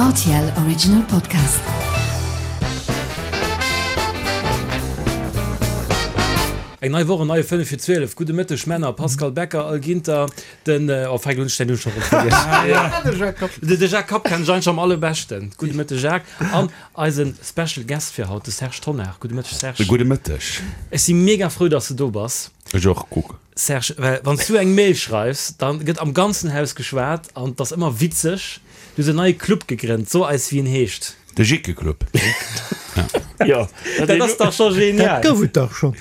Rtl Original Podcast. Eng nei Woch, en neie 5 vir 12. Gudde Mëtteg Männer, Pascal Becker, Al Ginter, den, oh feck, elo hunn ech däin Numm scho rëm vergiess. De Jacques Kapp kennen ech eigentlech am allerbeschten. Gudde Mëtteg Jacques. An eise Special Guest fir haut, de Serge Tonnar. Gudde Mëtteg Serge. Gudde Mëtteg. Ech si mega frou, dass de do bass. Ech och, kuck. Serge, well wann s du eng Mail schreifs, da gëtt am ganzen Haus geschwat an 't ass ëmmer witzeg. Du hues en neie Club gegrënnt, so eis wéi en heescht. De Jickeclub. Jo, dat ass dach scho genial. Dat gouf et dach schonn.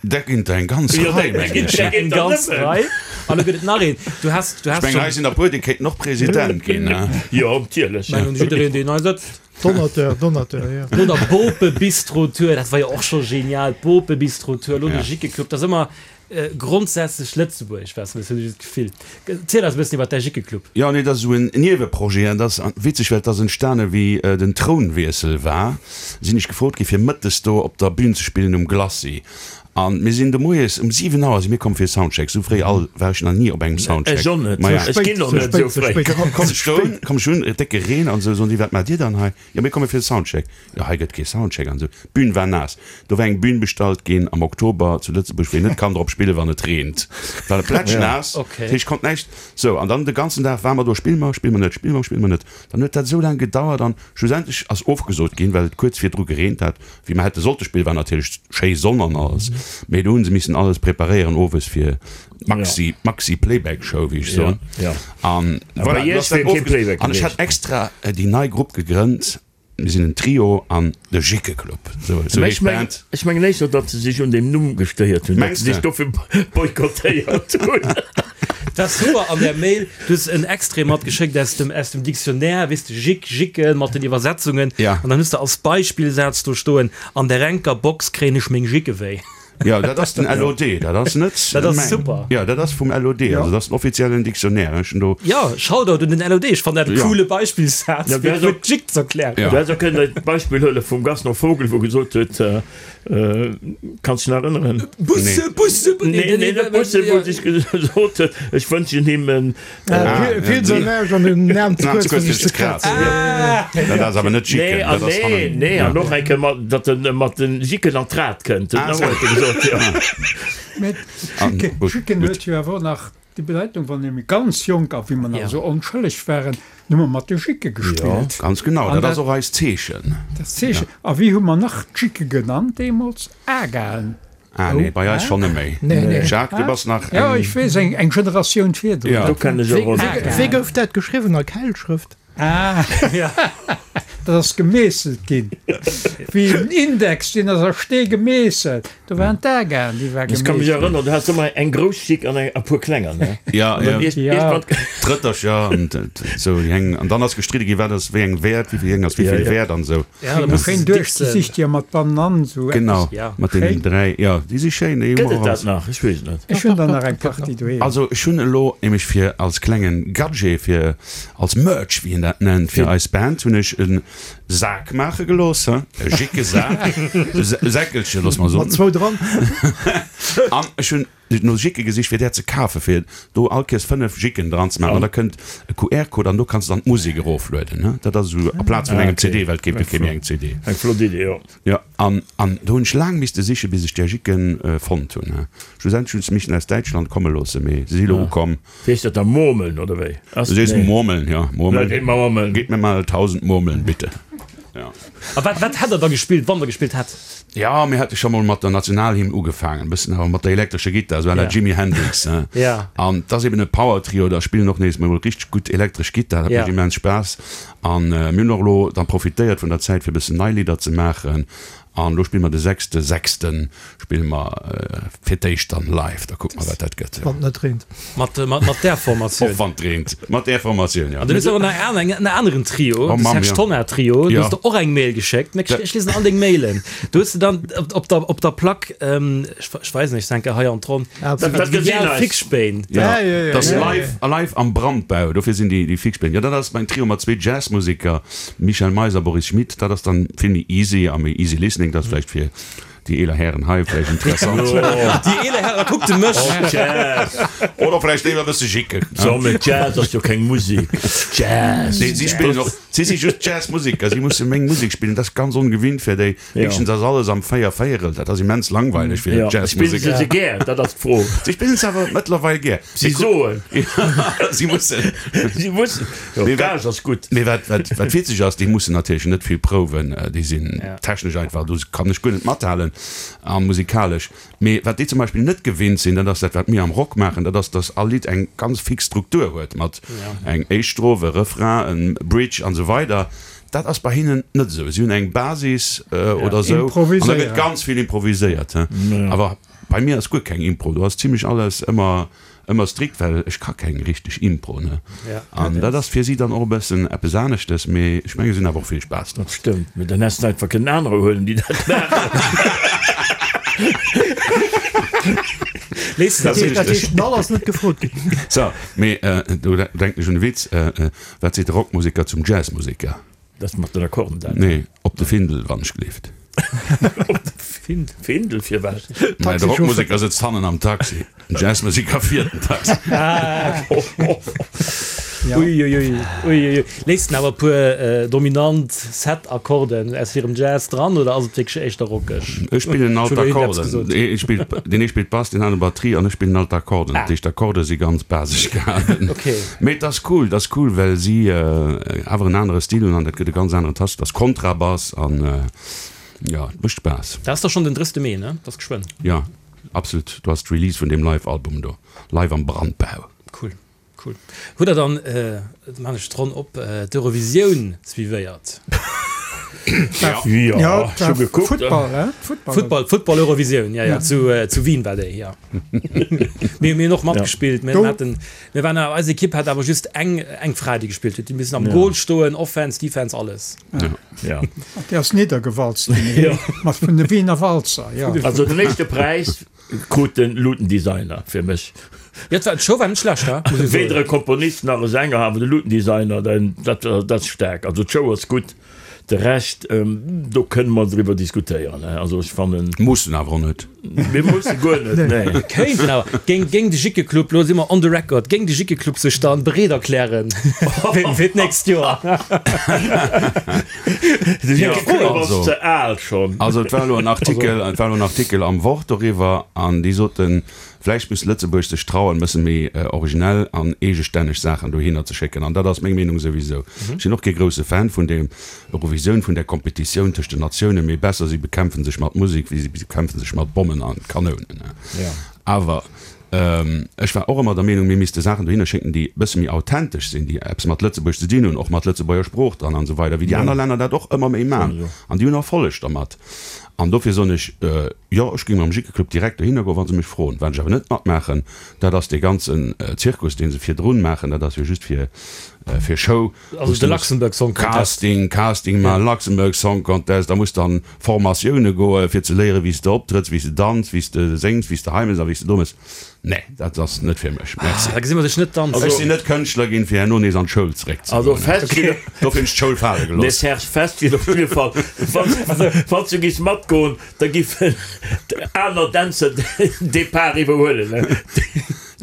Dat ginn der eng ganz Rei, mengen ech. Eng ganz Rei. An elo gëtt et nach een. Du has, du has. Ech mengen, hei sinn der e puer, déi kéinten och President ginn. Jo, natierlech. Mengen, jiddereen, deen hei sëtzt. Donateur, Donateur, jo. No der Bope-Bistro-Tour, dat war jo och scho genial, d'Bope-Bistro-Tour, elo de Jickeclub, dat ass ëmmer grondsätzlech Lëtzebuerg, weess de, hunn ech d'Gefill. Ziel eis e bëssen iwwer däi Jickeclub. Jo, nee, dat ass esou en Nieweprojet an dat ass witzeg, well et ass entstane wéi den Trounwiessel war, sinn ech gefrot gi fir mëttes do op der Bühn ze spillen um Glacis. An mir sinn do moies um 7 Auer si mir komm fir Soundcheck. Sou fréi all war ech nach ni op engem Soundcheck. Ech och net. Ech ginn och net sou fréi. Komm ech do, komm ech un, décke Reen an sou, soen déi, wat maacht dir dann hei? Jo mir komme fir de Soundcheck. Jo hei gëtt kee Soundcheck an sou. D'Bün war naass. Do war eng Bühn bestallt ginn am Oktober zu Lëtzebuerg, wou een net kann drop spillen, wann et reent. War plätschnaass, dat heescht konnt näischt. Sou an dann de ganzen Dag ware mer do, spille mer, spille mer net, spille mer, spille mer net. Dann huet dat esou laang gedauert an schlussendlech ass ofgesot ginn, well et kuerz virdru gereent hat. Wéi mer hätte sollte spillen, war natierlech schéi Sonn an alles, mee do hu se missen alles preparéieren owes fir d'Maxi, d'Maxi Playback Show, wéi ech soen. An voilà, du ass dat ofgesot. An ech hat extra déi nei Grupp gegrënnt, mir sinn en Trio an de Jickeclub, esou heescht d'Band. Ech mengen éischter, datt se sech un deem Numm gestéiert hunn, datt se sech dofir boykottéiert hunn. Dat ass super an der Mail, du hues en Extrait matgeschéckt aus dem, aus dem Dictionnaire, weess de, Jick, Jicken, mat den Iwwersetzungen. Ja. An dann hues de als Beispillsaz do stoen, An der enker Box kréien ech meng Jicke wéi. Jo, dat ass den LOD, dat ass net Dat ass mäin. super. Jo, dat ass vum LOD, also dat ass den offiziellen Dictionnaire. Ech hunn do. Jo, Shoutout un den LOD, ech fannen dat e Ja. coole Beispillsaz, Ja, fir du häss fir och- d'Jick z'erklären. Ja. Du häss och kënnen d'Beispill huele vum Gaston Vogel, wou gesot huet, Kanns dech nach erënneren? Busse, Busse, Nee, nee, net Busse, wou sech gesot huet, ech wënschen him en. Vill ze näischt an den Naam ze kuerz fir sech ze krazen. Dat ass awer net Jicken. Nee, an nee, nee, an och eng Kéier mat, datt en mat den Jicken an d'Rad kënnt. Ah, huet e gesot, jo. Mä Jicken huet jo awer och nach Déi Bedeitung, wann ee ganz jonk a wéi mer nach esou onschëlleg waren, hu mer mat de Jicke gespillt. Ganz genau, dat ass och eist Zeechen. Dat Zeechen. A wéi hu mer nach d'Jicke genannt deemools? Agaen. Ah nee, bei eis schonn net méi. Jacques, du bass nach eng. Jo, ech weess, eng Generatioun virdrun. Do kennen ech och Agaen. Wéi gouf dat geschriwwen? A Keilschrëft? Ah, dat ass gemeesselt ginn, wéi en Index, deen ass a Stee gemeesselt. Do waren d'Agaen, déi war Ech ka mech gemeesselt. erënneren, du has ëmmer eng grouss Jick an e puer klenger, ne? Ja, An dann ja. iert, iergendwann. D'Rëttercher an esou, déi eng. An dann ass gestridde ginn, wat ass wéi eng wäert, wéi vill eng ass wéi vill wäert an esou. Ja, da muss Schéin de duerchgesicht, jo, mat Banan, esou eppes. Genau, Ja. mat deenen Schéin. 3, jo, déi si schéin, déi hu Gëtt mer et och dat als. nach? Ech weess et net. Ech hunn der nach eng Partie doheem. Also ech hunn elo nämlech fir als klengen Gadget, fir als Merch, wéi een dat nennt, fir eis Band hunn ech e Sak maache gelooss, he, e Jickesak, e Säckelchen, looss mer soen. Mat zwou dran. An ech hunn no Jicke gesicht, fir där ze kafen, fir do all Kéiers 5 Jicken dran ze maachen. An da kënnt e QR-Code an do kanns de dann d'Musek eroflueden, he. Dat ass esou aplaz vun engem CD, well et gétt jo kee méi eng CD. Eng flott Idee, jo. Jo, an an do hunn ech laang misste sichen, bis ech där Jicken fonnt hunn, he. Schlussendlech hunn ech se missen aus Däitschland komme loossen, mee se si elo ukomm. Wéi heescht dat da, Murmeln oder wéi? Du sees Murmeln, ja, Murmeln. Geet mer Murmeln. Geet mir mal 1000 Murmeln, bitte. Ja. A wat, wat hätt der da gespillt, wann der gespillt hätt? Ja, mir hätte scho mol mat der Nationalhymn ugefaangen, e bëssen awer mat der elektrescher Gittar, esou à la Jimi Hendrix, hein. Ja. An 't ass eben e Power-Trio, da spillen och nees mol richteg gutt elektresch Gittar, dat mécht immens Spaass. An mir hunn och elo dann profitéiert vun der Zäit, fir e bëssen nei Lidder ze maachen. An elo spille mer de sechste sechste spille mer fir d'éischt dann live, da kucke mer wat dat gëtt. Wann et net reent. Mat, mat, mat där Formatioun. Och wann et reent, mat där Formatioun, jo. An du hues awer nach en, en aneren Trio, Oh de Mamm, Serge jo. Tonnar Trio, do Jo. hues de och eng Mail geschéckt. Mä ech liesen all deng Mailen. Do hues de dann op, op der, op der Plack, ech, ech weisen iech enke hei an d'Ronn, Ah, Dat, dat déi gesinn al eis. Fixspéin. Ja, Ja, ja, ja, dat ass ja, ja. live, live am Brandbau, dofir sinn déi, déi Fixspéin. Jo, dat ass mäin Trio mat zwee Jazzmuseker, Michel Meis a Boris Schmit. Dat ass dann vill méi easy a méi easy listening, dat ass vläicht fir. Déi eeler Hären hei vläicht interessant. Déi eeler Hären, da kuckt de mech. Oh, Jazz. Oder vläicht léiwer e bësse Jicken. So, mee Jazz ass jo keng Musek. Jazz. Nee, si spillen och, si si just Jazzmuseker, si musse meng Musek spillen. Dat ass ganz ongewinnt fir déi. Éischtens ass alles am Véiervéierel, dat ass immens langweileg fir Ja, spillen Jazzmuseker. se se gär? Dat ass d'Fro. Si spillen se awer mëttlerweil gär. Si soen. Si mussen. Si mussen. Jo, Mee wat- Gage ass gutt. Mee wat, wat, wat witzeg ass, déi mussen natierlech net vill prouwen, déi sinn technesch einfach, do kann ech guer net mathalen a musikalesch. Mee wat déi zum Beispill net gewinnt sinn, dat ass dat, wat mir am Rock maachen, dat ass, datt all Lidd eng ganz fix Struktur huet mat eng éischt Stroph, e Refrain, e Bridge an esou weider. Dat ass bei hinnen net esou. Si hunn eng Basis oder esou an da gëtt ganz vill improviséiert. Awer bei mir ass guer keng Impro, do ass zimlech alles ëmmer ëmmer strikt, well ech ka keng richteg Impro, ne. An dat ass fir si dann och e bëssen eppes aneschtes, mee ech menge si hunn awer och vill Spaass dran. Dat stëmmt, mee dann häss de einfach kënnen anerer huelen, déi dat maachen. Léisst Dat heescht, den All ass net gefrot ginn. So, mee do denken ech un e Witz, Wat seet de Rockmuseker zum Jazzmuseker? Dat mat den Akkorden dat? Nee, op de Findel, wann ech gleeft. Op de Findel, firwat? Mä de Rockmuseker sëtzt hannen am Taxi, den Jazzmuseker fiert den Taxi. Uiuiui, uiuiui. Léisst en awer e puer dominant Set-Akkorden aus hirem Jazz dran oder ass et wierklech éischter rockeg? Ech spillen all d'Akkorden. Deen ee spillt Bass, deen anere Batterie an ech spillen all d'Akkorden. Dat heescht, d'Akkorde si ganz basesch gehalen. Mee et ass cool, et ass cool, well si awer en anere Stil hunn an dat gëtt e ganz aneren Touch. Et ass Kontrabass an jo, et mécht Spaass. Dat ass da schonn den 30. Mee, ne? Dat ass geschwënn. Jo, absolut. Do ass d'Release vun deem Live-Album do, Live am Brandbau. Cool, cool. Hutt der dann, da maan ech d'Ronn op, d'Eurovisioun suivéiert? Jo, ech hu gekuckt. Football, he? Football, Football Eurovisioun, jo, jo, zu Wien war déi, jo. Mir hunn och matgespillt, mir haten, mir waren awer, eis Ekipp hat awer just eng, eng Fra, déi gespillt huet, déi missen am Goal stoen, Offense, Defense, alles. Jo. Déi ass niddergewalzt ginn, mat vun de Wiener Walzer, jo. Also den éischte Präis krut den Luutendesigner fir mech. Jo, d'Show war net schlecht, he, muss ech soen. Weder e Komponist nach e Sänger, awer de Luutendesigner, dat, dat ass staark. Also d'Show ass gutt. De Rescht, do kënne mer driwwer diskutéieren. Also ech fannen. Mussen awer och net. Mir musse guer net, nee. Mir kéinten awer. Géing, géing de Jickeclub, lo si mer on the record, géing de Jickeclub sech dann bereet erklären fir d'nächst Joer? De Jickeclub ass ze al schonn. Also et war elo en Artikel, et war elo en Artikel am Wort doriwwer an déi soten, Vläicht misst Lëtzebuerg sech trauen, e bësse méi originell an eegestänneg Saachen dohinner ze schécken. An dat ass meng Meenung souwisou. Ech sinn och kee grousse Fan vun der Eurovisioun, vun där Kompetitioun tëscht den Natiounen, mee besser si bekämpfe sech mat Musek, wéi si bekämpfe sech mat Bommen a Kanounen. Awer ech war och ëmmer der Meenung, mir misste Saachen dohinner schécken, déi e bësse méi authentesch sinn, déi eppes mat Lëtzebuerg ze dinn hunn, och mat Lëtzebuerger Sprooch dran an esou weider, wéi déi aner Länner dat och ëmmer méi man. An déi hunn Erfolleg dermat. An dofir soen ech, Jo, ech géing mam Jickeclub direkt dohinner goen, wa se mech froen. Wat ech awer net matmaachen, dat ass dee ganzen Zirkus, dee se virdrun maachen. Dat ass jo just fir fir Show. Also de Luxembourg Song Contest. Casting, Casting maachen, Luxembourg Song Contest. Da muss dann Formatioune goen, fir ze léieren, wéi s de optrëtts, wéi s de danz, wéi s de séngs, wéi s de hei méchs a wéi s de do méchs. Nee, dat ass net fir mech. Merci. Da gesi mer dech net danzen. Ech sinn net Kënschtler ginn, fir herno nees an d'Schoul zeréck ze Also goen. fest steet. Dofir hunn ech d'Schoul fale Nee, gelooss. Serge, fest steet op jidde Fall, wann s du giss matgoen, da giffen aner Dänzer den Depart iwwerhuelen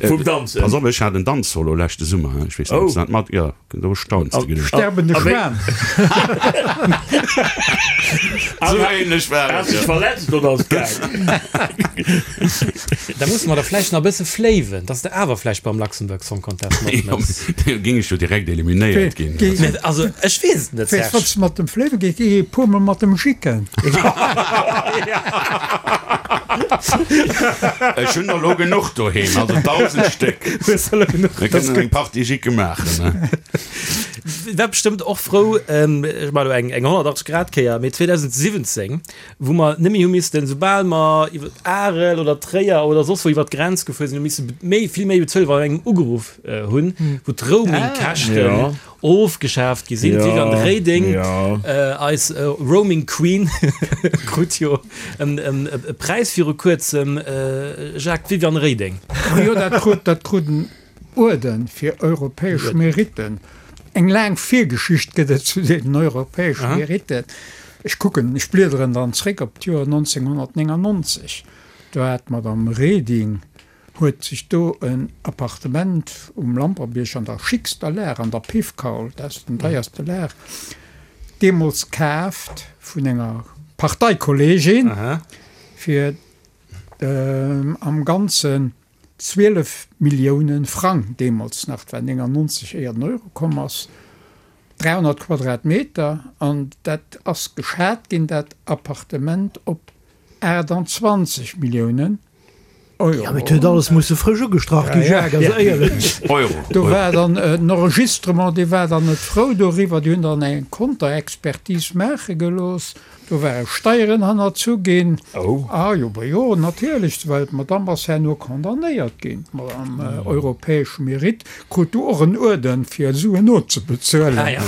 vum Danzen. Pass op, ech hat en Danzsolo leschte Summer. Ech weess net, ob s de dat mat. Jo. Do stauns de genuch. Sterbende Schwan. Sou ähnlech war et, Has dech jo. verletzt oder ass et gaang? Da musse mer der vläicht nach e bësse fléiwen, dass de awer vläicht beim Luxembourg Song Contest matmëchs. Jo, ging ech jo direkt eliminéiert ginn. Mä also, ech weess et net, Weess, Serge. mat dem Fléiwe geet, géi e puer mol mat dem Jicken. Ech hunn der elo genuch doheem, also 1.000 Stéck. Hues elo genuch, Mir dat ass kënnen gutt. eng Partie Jicke maachen, ne? War bestëmmt och frou, ech maachen elo eng 180 Grad Kéier, mee 2017, wou mer net méi hu missten, soubal mer iwwer Arel oder Tréier oder soss wou iwwer d'Grenz gefuer sinn, hu misse méi, vill méi bezuelen, wa mer engem ugeruff hunn, wou d'Roaming-Käschten Ofgeschaaft gi sinn. D'Viviane Reding, eis Roaming Queen, krut jo e Präis viru kuerzem. Jacques, d'Viviane Reding. Jo, dat krut, dat krut en Uerden fir europäesch Meritten. Eng laang Virgeschicht gëtt et zu deenen europäesche Meritten. Ech kucken, ech bliederen dann zréck op d'Joer 1999, do hat d'Madame Reding huet sech do en Appartement um Lampertbierg an der schickster Lag, an der Piffkaul, dat ass den deierste Lag, deemools kaaft vun enger Parteikolleegin fir am Ganzen 12 Millioune Frang, deemools nach, et war 99 éier den Euro komm ass, 300 Quadratmeter, an dat ass geschat ginn, dat Appartement, op 28 Milliounen Euro. Jo, mee et huet alles musse frësch ugestrach ginn, Jacques, also éierlech. Euro. Do war dann den Enregistrement, dee war dann net frou doriwwer, déi hunn dann eng Konterexpertise maache gelooss. Do ware Steieren hannerzu ginn. Oh. Ah jo, bah jo, natierlech, well d'Madame ass herno condamnéiert ginn. D'Madame europäesche Mérite krut du och en Uerden, fir Suen nozebezuelen. Ah ja.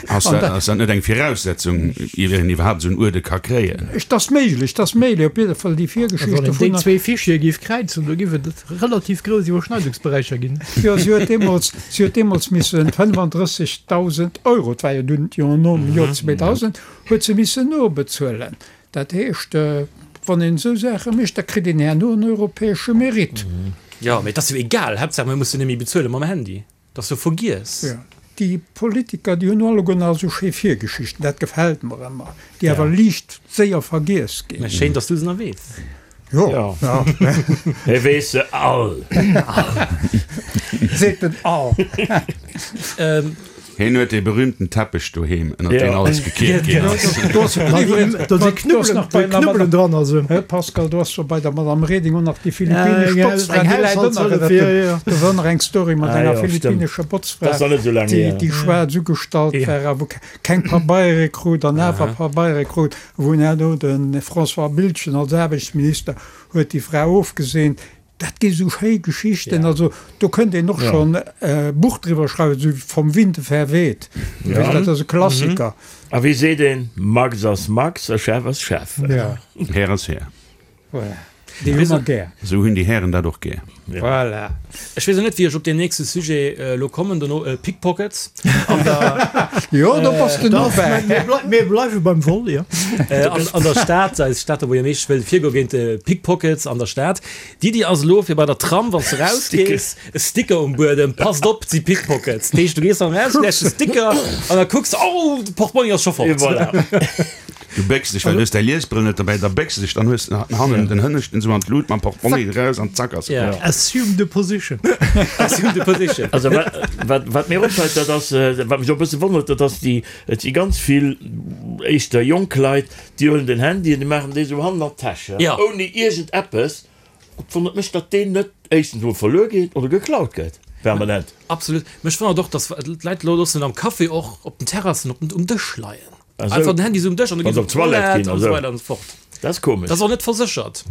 Ass dat, ass dat net eng Viraussetzung, ier een iwwerhaapt esou en Uerde ka kréien? Et ass méiglech, et ass méiglech. Op jidde Fall déi Virgeschicht Wann een déi dovunner. zwee Fichiere géif kräizen, do géif et relativ grouss Iwwerschneidungsberäicher ginn. Jo, si huet deemools, si huet deemools missen 35.000 Euro, et war jo dunn d'Joer nom Joer 2000, huet se missen nobezuelen. Dat heescht, wann een esou Saache mécht, da kritt een herno en europäesche Mérite. Jo, mee et ass jo egal, Haaptsaach mir mussen net méi bezuele mam Handy. Et ass jo vergiess. Jo, déi Politiker, déi hunn alleguer nach esou schéi Virgeschichten, dat gefält mer ëmmer, déi awer liicht séier vergiess ginn. Mä schéin, datt s du se nach weess. Jo, ja. Hie weess se all. Seet den Al. Hien huet dee berühmten Teppech doheem, ënnert deen alles gekiert ginn ass. Do si Knubbelen dran. Also. Pascal, do ass jo bei der Madame Reding och nach déi philippinesch Botzfra, déi läit ënner. Do war nach eng Story mat enger philippinescher Botzfra, déi schwaarz ugestallt war a wou keng Pabeiere krut an awer Pabeiere krut. Wou herno de François Biltgen als Aarbechtsminister huet déi Fra ofgeseent. Dat gi sou schéi Geschichten, also do kënnt een och schonn e Buch driwwer schreiwen, sou Vom Winde verweht, dat ass e Klassiker. A wéi seet een, Max ass Max a Chef ass Chef. Här ass Här. Voilà, déi hu mer gär. Esou hunn déi Hären dat och gär. Voilà. Ech weess och net, wéi ech op deen nächste Sujet elo kommen dono, Pickpockets an der. Jo, do bass de no bäi. Mir bleiwe beim Vol, jo. An der Stad, eis Stad, wou jo meescht wëll virgoe géint Pickpockets an der Stad. D'Iddi ass elo, fir bei der Tram, wann s de rausgees, e Sticker um Buedem, Passt op, et si Pickpockets. Dat heescht, du gees dann raus, läscht de Sticker an da kucks de, oh, de Portmonni ass scho fort. Et voilà. Du bécks dech, well du hues däi Liesbrëll net derbäi, da bécks de dech, dann hues de hannen den Hënneschten esou an d'Lut mam Portmonni eraus an zack ass et fort. Assume the position. Assume the position. Also wat, wat mir opfält, dat ass, wat mech och e bësse wonnert, dat ass déi, et si ganz vill éischter jonk Leit, déi huelen den Handy an déi maachen dee sou hannen an d'Täsch, ouni iergend eppes. Et wonnert mech, datt deen net éischtens emol verluer geet oder geklaut gëtt permanent. Absolut. Mech wonnert och, datt d'Leit elo loossen am Café och op den Terrassen op den, um Dësch leien. Einfach den Handy sou um Dësch an da gi se op d'Toilette an esou weider an esou fort. Dat ass komesch. Dat ass och net verséchert.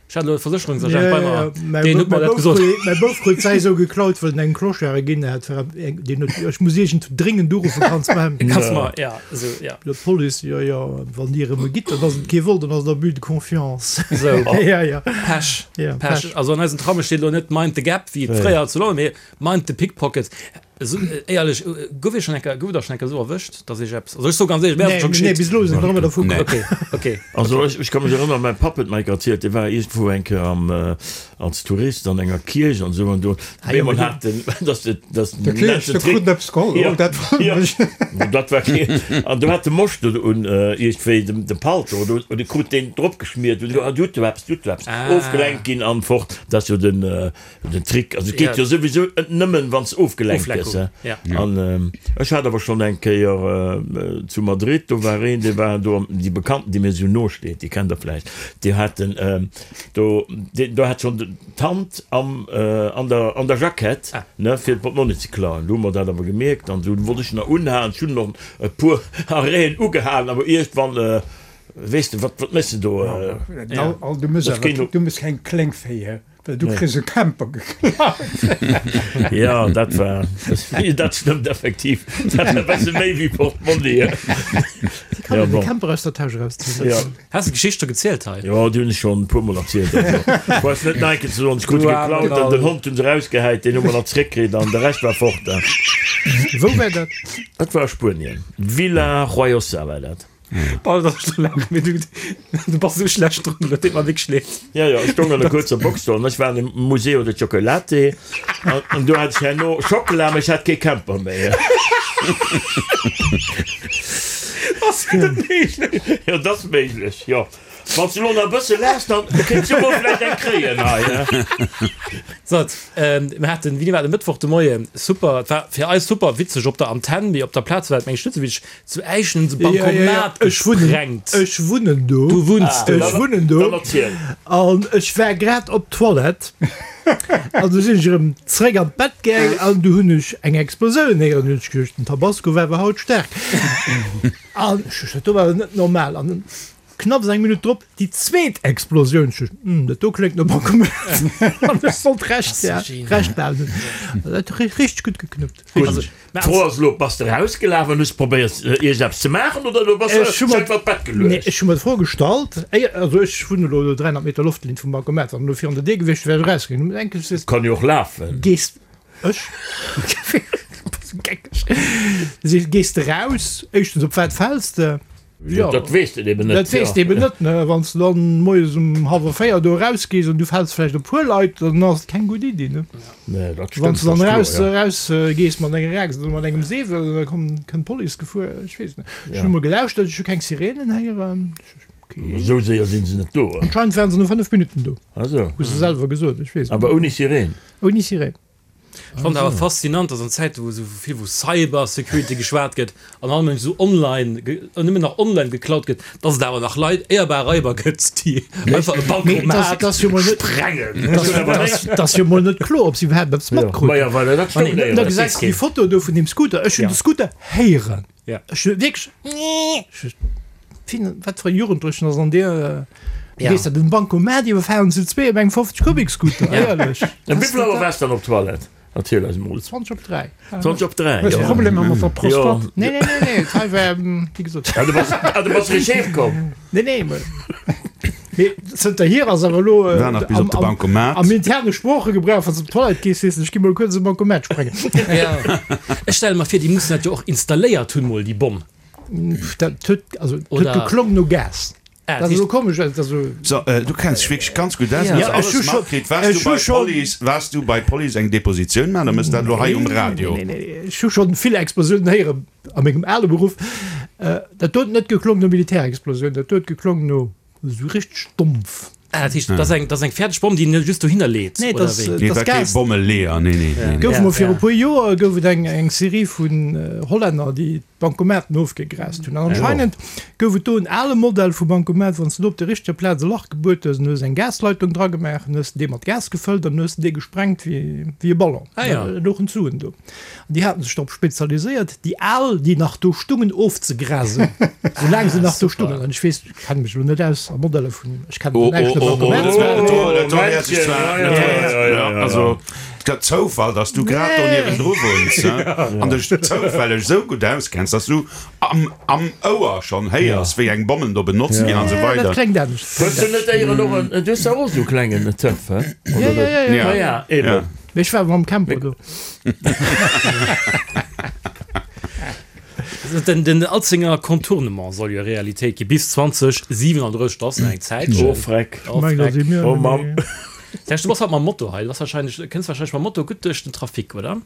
Ech hat elo e Versécherungsagent bei mer, deen huet mer dat gesot. Mäi Bouf krut säi sou geklaut, well en engem Clochard e ginn hat. Deen huet, ech muss iergend dréngend uruffen, kanns mer. Kanns mer, ja, esou, ja. Jo, d'Police, jo, jo, wann dir erëm e gitt, dann ass et kee Vol, dann ass et Abus de confiance. Esou. Ja, ja. Pech, Ja, Pech. Pech. Also an eisen Tramme steet elo net Mind the Gap, wéi et fréier zu London, mee Mind the Pickpocket. Esou éierlech, gouf Iech schonn eng Kéier, gouft Der schonn eng Kéier esou erwëscht, dass Iech eppes, also ech soe ganz éierlech, mir ass et scho Nee, nee, geschitt. bis elo sinn ech nach ëmmer dervu komm. Nee. Okay, okay. Also ech, ech ka mech erënneren, mäi Papp huet mer eng Kéier erzielt, dee war iergendwou eng Kéier am, als Tourist an enger Kierch an esou an do op eemol hat den, dass de, dass De Kierch, de krut eppes geholl, oh dat wonnert Ja, mech. dat war kee, an do hat de Moscht un iergendwéi dem, dem Palto oder oder krut deen drop geschmiert un, du hutt do eppes, du hutt do eppes, ofgelenkt ginn an fort. Dat ass jo den, Den Trick, also et geet jo souwisou nëmmen wann s ofgelenkt gëss. An ech hat awer schonn eng Kéier zu Madrid, do war een, dee war do, déi Bekannten, déi mir esou no steet, déi kennt der vläicht, déi haten do, do hat schonn d'Hand am, an der, an der Jackett, ne, fir d'Portmonni ze klauen. Du hu mer dat awer gemierkt an du wollt ech nach unhalen, ech hunn och e puer Arrêten ugehalen, awer iergendwann, weess de, wat, wat méchs de do? Al, du muss awer, du muss keng Kléngféier Well du kriss e Camper geklaut. Jo, dat war, dat stëmmt effektiv. Dat war e bësse méi wéi Portmonni. Wéi kann een de Camper aus der Täsch erauszéien? Jo. Has de d'Geschicht scho gezielt hei? Jo, déi hunn ech schonn e puermol erzielt. Also, ech brauch net nach eng Kéier ze soen, ech krut e geklaut an den Hond hunn se erausgehäit, deen hu mer nach zeréckkritt an de Rescht war fort. Wou war dat? Dat war a Spuenien, Villajoyosa war dat. Paul, dat ass scho laang, mee du, du bass esou schlecht drun, dat deet mer wierklech leed. Ja, ja, ech stoung an der kuerzer Box do an ech war an dem Museo de Chocolate an, an do hat ech herno Schockela, mee ech hat kee Camper méi. Ass dat méiglech? Jo, dat ass méiglech, jo. Wann s de elo nach e bësse laachs, dann kéints du mol vläicht eng kréien hei, ne? Sot, mir haten, wéini war et, e Mëttwoch de Moien, super, et war fir eis super witzeg op der Antenn, mee op der Plaz war et, meng ech, net esou witzeg, zu Äischen hunn se Bankomat gesprengt. Ech wunnen do. Du wunns do. Ech wunnen do. Dann erziel. An ech war grad op d'Toilette an du sinn ech erëm zréck an d'Bett gaang an du hunn ech eng Explosioun héieren. Hunn ech geduecht, den Tabasco war awer haut staark. An ech duecht, dat do war awer net normal. An knapps eng Minutt drop déi zweet Explosioun. Ech duecht, Hm, dat do kléngt no Bankomat. An ech sollt Recht, ja, Recht behalen. Dat huet richteg gutt geknuppt. Gutt. D'Fro ass elo, Bass de erausgelaf an hues probéiert iergendeppes ze maachen oder du bass Ech hu mer, einfach d'Bett geluecht? nee, ech hu mer d'Fro gestallt, éier, also ech wunn elo do 300 Meter Loftlinn vum Bankomat, wann elo virun der Dier gewiescht wär, wär ech erausgaangen. Hunn enk gesot, Kann jo och lafen. Gees, ech? Bass geckeg. Si, gees de raus, éischtens, op wat fäls de? Jo, dat weess de eben net. Dat weess de eben net, ne? Wann s de dann moies um hallwer 4 do erausgees an du fäls vläicht op e puer Leit, dann ass et keng gutt Iddi, ne? Nee, dat Wann stëmmt, s de dann dat eraus, ass kloer, ja. eraus gees mat enger Aaxt oder mat engem Seewel, da komm, kënnt d'Police gefuer, ech weess net. Ech hu mol gelauschtert, ech hu keng Sirenen héieren. Okay. Esou séier sinn se net do. Anscheinend waren se no 5 Minutten do. Ah sou. Hu se selwer gesot, ech weess et Awer net. ouni Sireen? Ouni Sireen. Ech fannen et awer faszinant, dass an Zäiten, wou esou vill vu Cyber Security geschwat gëtt an all Mënsch esou online, nëmmen nach online geklaut gëtt, dass et awer nach Leit, éierbar Raiber gëtt, déi einfach e Bancomat sprengen. Et ass jo mol net kloer, ob si iwwerhaapt eppes matkruten. Da gesäis de déi Foto do vun deem Scooter. Ech hunn de Scooter héieren. Ech hu wierklech, ech wat fir e Jugendlechen ass an dir? Du gees da den Bancomat iwwerfalen zu zwee op engem 50 Kubik Scooter, éierlech. Ëm wéivill Auer waars dann op d'Toilette? Erziel eis emol. 20 op 3. 20 op 3, Hues jo. Problemer mat der Prostate? Nee, nee, nee, nee, hei war, wéi gesot. Ah, du bass, ah, du bass richteg heem komm? Nee, nee, mee mee zënterhier ass awer elo War nach bis op de Bancomat. am interne Sproochegebrauch, wann s de op d'Toilette gees, sees de, ech gi mol kuerz e Bancomat sprengen. Ech stelle mer vir, déi mussen dat jo och installéiert hunn mol, déi Bomm. Dat huet, also, et huet geklong no Gas. Ah, Dat ass elo komesch, well et ass esou. So, du kenns dech wierklech ganz gutt aus. Ja. Hues alles Ech hu scho- matkritt. Waars ech du hu bei scho- Police, waars du bei Police eng Depositioun maachen oder mëss dat elo hei um Radio? Nee, nee, nee, ech hu schonn vill Explosiounen héieren a mengem ale Beruff. Dat do huet net geklong no Militärexplosioun, dat do huet geklong no esou richteg dompf. Ah, dat heescht, dat ass eng, dat ass eng fäerdeg Bomm, déi een just dohinner leet, Nee, oder dat ass, wéi? Nee, dat war ass kee Gas. Bommeleeër, nee, nee, nee, nee. Gouf Ja, mol viru ja. puer Joer gouf et eng, eng Serie vun Hollänner, déi Bancomaten ofgegrast hunn. An anscheinend gouf et do en ale Modell vu Bancomat, wann s de do op der richteger Plaz e Lach gebuert hues, an hues eng Gasleitung dragemaach, an hues de dee mat Gas gefëllt an hues de dee gesprengt wéi, wéi e Ballon. Ah ja. Da louchen d'Suen do. An déi haten sech drop spezialiséiert, déi al, déi nach do stungen, ofzegrasen, soulaang se nach do stungen. An ech weess, ech kenne mech elo net aus a Modeller vun, ech kennen Oh, näischt oh, iwwer oh, oh, Bancomat. dat do, dat do héiert sech zwar, Ja, dat do ja, héiert, ja, ja, ja. also, et gëtt Zoufall, dass du grad do niewendru wunns, hein, an dech zoufälleg esou gutt auskenns, dass du am, am Ouer schonn héiers, wéi eng Bommen do benotzt ginn an esou Dat weider. kléngt anescht. Hues du net éieren och en, du hues dach och esou klengen Töff, he? Ja, ja, ja, ja. Ja, ja, eben. Ja. Mee ech war mam Camper do. Den, den Alzenger Contournement soll jo Realitéit gi bis 2037, dat ass nach eng Zäitchen. Oh Freck. Oh Meng, da Freck. si mir Oh net Mamm. méi. Serge, du bass haut mam Moto hei. Du bass wahrscheinlech, kënns wahrscheinlech mam Moto gutt duerch den Trafic, oder?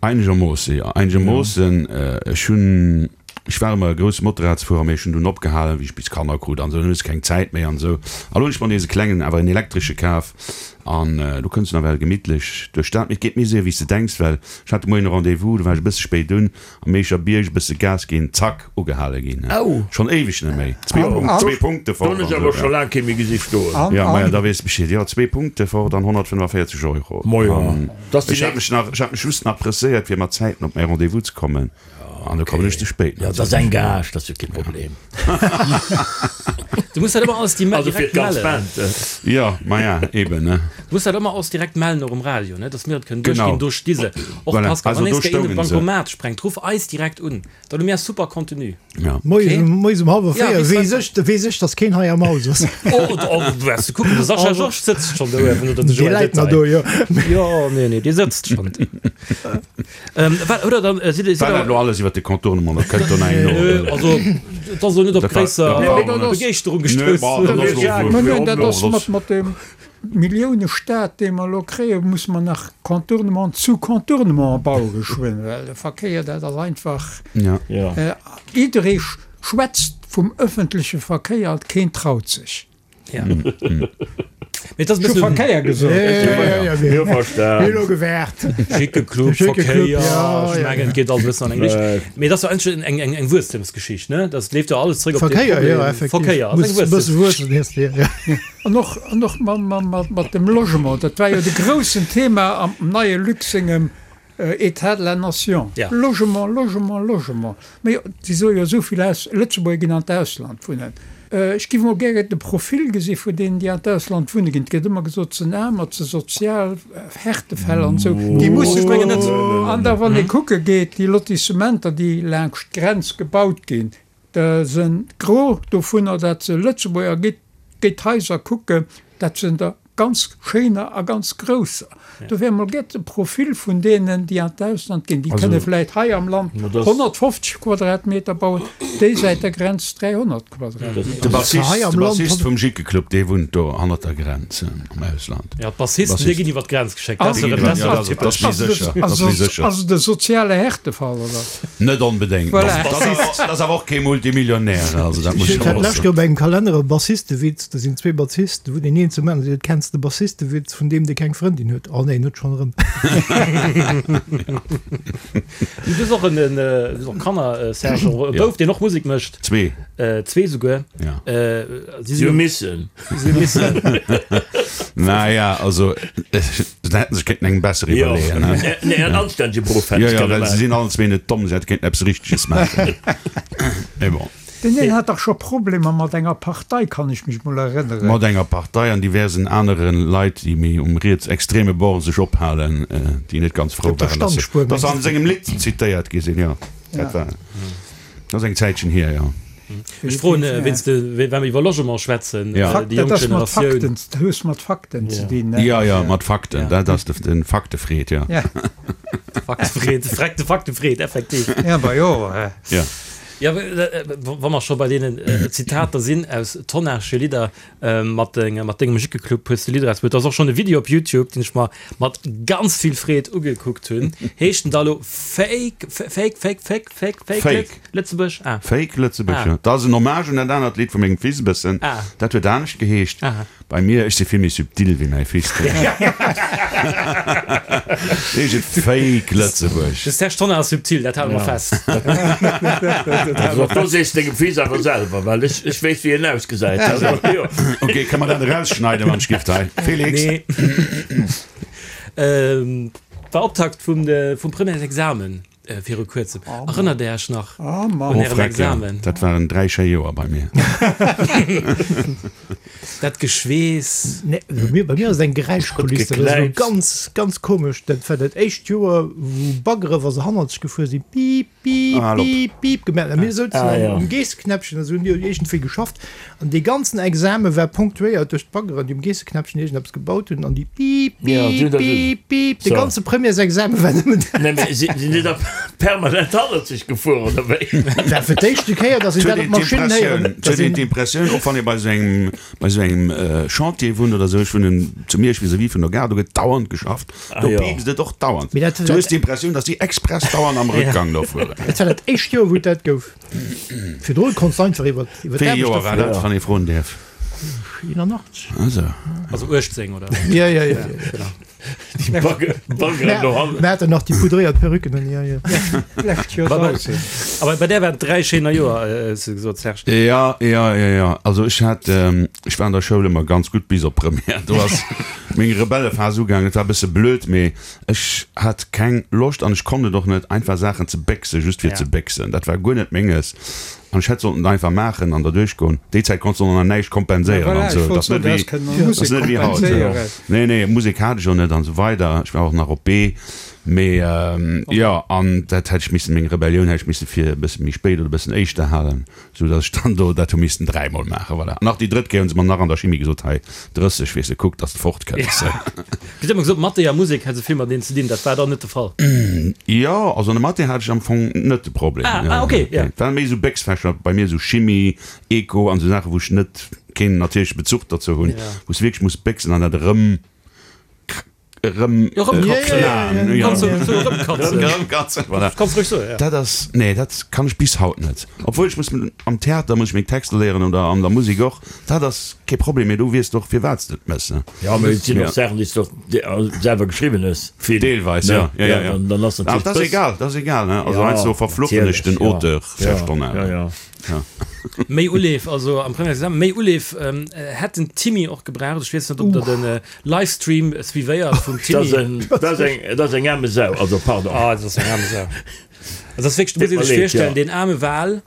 Einegermoosse, jo, einegermoossen. Ech hunn, ech war ëmmer e grousse Motorradsfuerer, mee ech hunn dunn opgehalen, wéi ech bis Kanner krut an esou, dann hues de keng Zäit méi an esou. A lo hunn ech mer nees e klengen, awer en elektresche kaf an do kënns du nawell gemittlech duerch d'Stad. Mee et geet méi séier, wéi s de denks, well ech hat de Moien e Rendez-vous, do war ech e bësse spéit un, am Meecher Bierg e bësse Gas ginn, zack, ugehale ginn. Schonn éiweg net méi. Zwee Punkte Do fort hunn an ech awer esou. scho laang kee méi gesi stoen. Jo, maja, da weess de Bescheed. Jo, zwee Punkte fort an 145 Euro. Mojo, dat ass déi Ech hat nächst. mech nach, ech hat mech just nach presséiert, fir mat Zäiten op mäi Rendez-vous ze kommen. An do kommen ech ze spéit. Jo, dat ass eng Gage, dat ass jo kee Problem. Du muss dat ëmmer alles di Also fir direkt d'ganz mellen. Band. Jo, maja, eben, ne. Du muss dat ëmmer alles direkt mellen, och um Radio, ne, dass mir et kënnen Genau. duerchginn. Do sti se. Och Voilà. Pascal, Also wann do eens der een de stoungen se. Bancomat sprengt, ruff eis direkt un. Dann hu mir super Contenu. Ja. Moies Okay. um, moies um hallwer Ja, 4 bis weess ech, weess ech, dass keen hei am Haus ass. Oh, oh, du wäers du kucken, de Sascha Georges sëtzt schonn do uewen, oder de Dee Joël läit nach Detail. do, jo. Jo, nee, nee, dee sëtzt schonn do. Wat, oder dann sidd Dir. War dat elo alles iwwer de Contournement? Da kënnt do nach eng no. Nö, also et ass elo net op gréisser Begeeschterung gestouss. Mä dat ass mat mat dem Milliounestaat, dee mer elo kréien, musse mer nach Contournement zu Contournement baue geschwënn, well de Verkéier, dat ass einfach, jidderee schwätzt vum ëffentleche Verkéier, keen traut sech. Ja. Mee et ass e bëssen. Verkéier gesot. Mir hu verstan. Elo gewäert. Jickeclub, Verkéier, ech mengen, et geet alles e bëssen an eng Richtung. Mee et ass jo eigentlech eng, eng, eng Wuesstemsgeschicht, ne? Dat leeft jo alles zréck op dee Verkéier, jo, Problem. effektiv. Verkéier ass eng Muss e bësse Wuesstemsgeschicht. wuessen, heescht de, jo. An och, an och mat dem Logement, dat war jo de groussen Thema am neie Luc sengem État de la nation. Ja. Logement, Logement, Logement. Mä jo, si soe jo esou vill aus, Lëtzebuerger ginn an d'Ausland wunnen. Ech géif emol gäre de Profil gesi vu deenen, déi an d'Ausland wunne ginn. Et gëtt ëmmer gesot, se sinn aarm, et si sozial Härtefäll an esou. Déi musse Ech mengen net. An da wann ee kucke geet, déi Lotissementer, déi laanscht d'Grenz gebaut ginn, Da sen gros dovunner dat se Lëtzebuerger gitt, géi d'Haiser kucken, dat sen der ganz schéiner a ganz grousser. Do wär mol gär de Profil vun deenen déi an d'Ausland ginn. Déi kënne vläit hei am Land 150 Quadratmeter bauen, déi säit der Grenz 300 Quadratmeter. De Bassist vum Jickeclub, dee wunnt do hannert der Grenz am Ausland. Jo, d'Bassisten, déi ginn iwwer d'Grenz geschéckt, dat ass méi sécher. Ass et e soziale Härtefall, oder? Net onbedéngt. Voilà. Dat ass awer och kee Multimillionär, also dat muss Ech ech hat och d'lescht soen. Joer bei engem Kalenner e Bassistewitz, do sinn zwee Bassisten, wou deen een zum aneren seet, Kenns de Bassistewitz vun deem dee keng Frëndin huet? Oh nee, net schonn erëm. Du hues och en, du hues och Kanner, Serge, och e Bouf, deen och Musek mécht. Zwee. Zwee souguer. Ja. Si Si hu sinn, missen. si hu missen. Naja, also se hätten sech kéinten eng besser iwwerleeën, ne? Nee, en anstännege Beruff hätt Jo, se jo, kënne well se maachen. sinn allen zwee net domm, se hätte kéinten eppes Richteges maachen. Mee bon. Deen een hat dach scho Problemer mat enger Partei, kann ech mech mol erënneren. Mat enger Partei an diversen anere Leit, déi méi um rietsextreme Bord sech ophalen, déi net ganz frou Op der waren, dass se, Standspuer, dass se mengs an sengem Lidd zitéiert gi sinn. Jo, dat war, dat ass eng Zäitchen hier, jo. Ech froen wéinst de, well mer iwwer Logement schwätzen, déi Dat jonk ass mat Generatioun. Fakten, dat hues mat Fakten ze dinn, ne? Jo, jo, mat Fakten, dat ass de, de Faktefreed, jo. Ja. Faktefreed, de Faktefreed, effektiv. Ja, bah jo. Jo. Ja, wa mer scho bei deenen Zitater sinn aus Tonnage Lidder, mat dengem Jickeclub hues de Lidder erausbruet. Do ass och schonn e Video op Youtube, deen ech mer mat ganz vill Freed ugekuckt hunn. Heescht den da elo Fake, Fake, Fake, Fake, Fake, Fake, Fake. Lëtzebuerg? Ah. Fake Lëtzebuerg, jo. Dat ass en Hommage un dat anert Lidd vu mengem Fils e bëssen. Ah. Dat huet anescht geheescht. Aha. Bei mir, ech si vill méi subtil wéi mäi Fils. Heescht et Fake Lëtzebuerg. De Serge Tonnar ass subtil, dat hale mer fest. Also do sees dengem Fils awer selwer, well ech ech weess wéi en ausgesäit. Also jo. Ok, kënne mer dat erausschneiden, wann ech giff hei? Félix? Nee. War Optakt vum vum Premièresexamen. Viru kuerzem. Erënnert Dir Iech nach un Oh Ären freck, ja. Examen? Dat waren 3 schéi Joer bei mir. Dat Geschweess. Nee, bei mir, bei mir ass et eng Geräischkulisse. Dat ass elo ganz, ganz komesch. Dat war dat éischt Joer, wou Baggere, wa se hannerzeg gefuer sinn, piip, piip, Ah, piip, piip gemaach hunn. A mir souzen Ah, ja. um Geesseknäppchen a se hunn iergendwéi geschafft. An dee ganzen Exame war ponktuéiert duerch d'Baggeren, déi um Geesseknäppchen iergendeppes gebaut hunn an déi piip, piip, piip, piip. De ganze Premièresexame war nëmmen dat. Nee, mee sinn déi da permanent hannerzeg gefuer, oder wéi? Dat war fir d'éischte Kéier, datt een dat op Maschinnen héieren. Et huet een d'Impressioun, och wann ee bei esou engem, bei esou engem Chantier wunnt oder esou, ech wunnen zu Miersch vis-à-vis vun der Gare, do gëtt dauernd geschafft, do piipst et och dauernd. Du hues d'Impressioun, datt déi express dauernd am Rëckgang do fueren. Dat war dat éischt Joer, wou et dat gouf. Virdrun konns de einfach iwwer iwwer Wéi ee d'Aarbecht Joer war erfueren. dat, wann ee froen däerf? 81. Also. Also 18, oder? Ja, ja, ja. Genau. Déi Bagge, Baggeren do hannen. Mir haten nach déi poudréiert Perücken un, ja, ja. Lescht Joer Aber bei där waren et 3 schéiner Joer, hues du gesot, Serge. Ja, ja, ja, ja. Also ech hat, ech war an der Schoul ëmmer ganz gutt bis op Première. Do ass meng Rebellephas ugaangen. Et war e bësse blöd, mee Ech hat keng Loscht an ech konnt et och net, einfach Saachen ze béchsen, just fir ze béchsen. Dat war guer net menges an ech hätt sollten et einfach maachen an derduerch goen. Déi Zäit konns de och nach näischt kompenséieren an esou. Et ass net wéi, ass net wéi haut. Nee, nee, Musek hat ech och net an esou weider. Ech war och nach op B. Mee jo, an dat hätt ech missen, meng Rebellioun hätt ech misse fir e bësse méi spéit oder e bëssen éischter halen, sou datt ech dann do dat hu missten dräimol maachen. Voilà. An nach déi drëtt Kéier hu se mer nach an der Chimie gesot, hei 30, weess de, kuck, datt s de fort kënns. Gëtt ëmmer gesot, Mathé a Musek hätt esou vill mateneen ze dinn. Dat war dann net de Fall? Jo, also an der Mathé hat ech am Fong net de Problem. Ah, ah, okay, jo. Et waren méi esou Béchsfächer bei mir, esou Chimie, Eco an esou Saachen, wou ech net keen natierleche Bezuch dozou hunn, wou s de wierklech muss béchsen an dat erëm. Erëm Dat ass nee dat kann ech bis haut net. Obwuel ech muss am Theater muss ech meng Texter léieren oder an der Musek och. Dat ass kee Problem, mee do weess de och firwat s de et mëss. Jo mee et sinn och Saachen déi s de och selwer geschriwwen hues. Vill. Deelweis jo. Jo jo jo. Dann ass natierlech. Dat ass egal, dat ass egal ne. Also heiansdo verfluchen ech den Auteur verstonnen. Méi Uleef, also am Premièresexamen, méi Uleef hätt den Timmy och gebraucht. Ech weess net, ob der de Livestream suivéiert vum Timmy. Dat ass eng, dat ass eng aarme Sau, also pardon. Ah, dat ass eng aarme Sau. Dat ass wierklech, du muss ee sech virstellen, deen aarme Wal,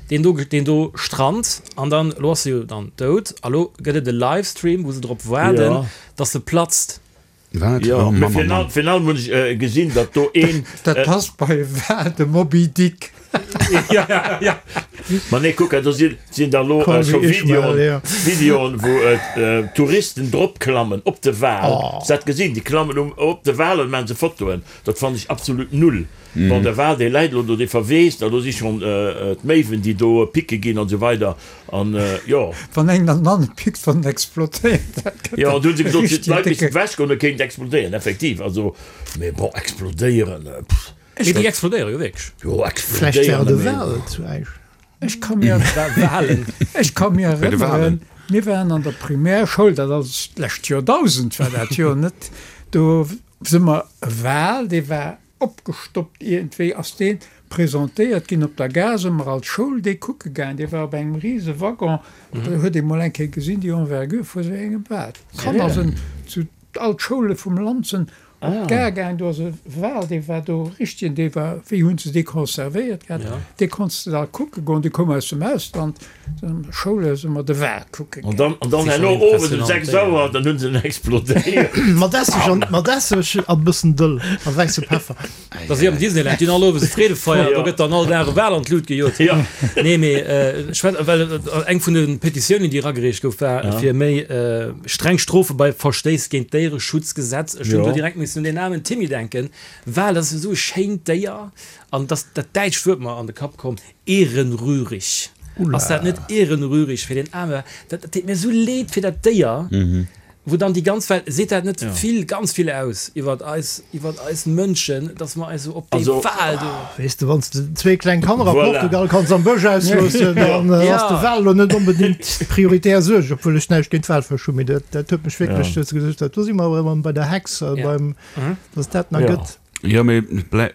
deen do, deen do strandt an dann, elo ass e jo dann dout, a lo gëtt et e Livestream, wou se drop waarden, datt e platzt. Wat? Jo, Oh mee Mann, Mann, virun Mann. allem, virun allem hunn ech gesinn, datt do een. Dat passt bei Wal, de Moby Dick. Ja, ja, ja. Ma nee, kuck, do sinn, sinn da lo Call scho me Ishmael, Videoen, ja. Videoen, wou Touristen dropklammen op de Wal. Hues dat gesinn? Déi klammen um, op de Wal an maachen se Fotoen. Dat fannen ech absolut null. Bon, de Wal, dee läit elo do, dee verweest, a do si schonn d'Méiwen, déi do picke ginn an esou weider. An jo. Wann eng dann an pickt, wann en explodéiert, dat gëtt Jo, do hu se gesot, d'Leit missten ewech goen, da kéint explodéieren, effektiv. Also, mee bon, explodéieren, pff. Mee déi explodéiere jo wierklech. Jo, Vläicht war explodéieren, et e mee. Wal zu Eich. Ech ka mir, Walen. ech ka mir Bei de erënneren, Walen. mir waren an der Primärschoul, dat ass d'lescht Joerdausend war dat jo, net? Do si mer e Wal, dee war Opgestoppt iergendwéi ass dee presentéiert ginn op der Gare, si mer als Schoul dee kucke gaang. Dee war op engem rise Waggon, do huet ee mol eng Kéier gesinn déi Envergure vu sou engem Wal. D'Kanner sinn zu all d'Schoule vum Land sinn op d'Gare gaang, do ass e Wal, dee war do richtegen, dee war, wéi hunn se dee conservéiert gehat, dee konntst de da kucke goen, dee koum aus dem Ausland. Schoule si mer de Wal kucke An dann, an dann herno owes um 6 Auer, dann hunn se en explodéiert. Mat Esseg an, mat Esseg an e bëssen Dëll a wäisse Peffer. Dat ass wéi am Disneyland, déi hunn all owes e Freedefeier, do gëtt dann all Dag e Wal an d'Lut gejot. Nee, mee ech war, well eng vun de Petitiounen, déi eragereecht gouf, war fir méi streng Strofe bei Verstéiss géint d'Déiereschutzgesetz. Ech hunn do direkt missen un deen aarmen Timmy denken. Wal, dat ass esou e schéint Déier an et ass dat däitscht Wuert mer an de Kapp komm, Ehrenrührig. Ass dat net ehrenrührig fir deen aarme, dat deet mir esou leed fir dat Déier, wou dann déi ganz Welt, seet dat net vill, ganz vill aus iwwert eis, iwwert eis Mënschen, dass mer eis esou op dee Wal do. Weess de, wann s de zwee kleng Kanner a Voilà. Portugal kanns am Bësch ausloossen, dann ass de Wal elo net onbedéngt prioritär Suerg, obwuel ech näischt géint Walfësch hunn, mee dat, dat huet mech wierklech, hues de gesot, do si mer erëm bei der Hex, beim, dass dat nach gëtt. Jo, mee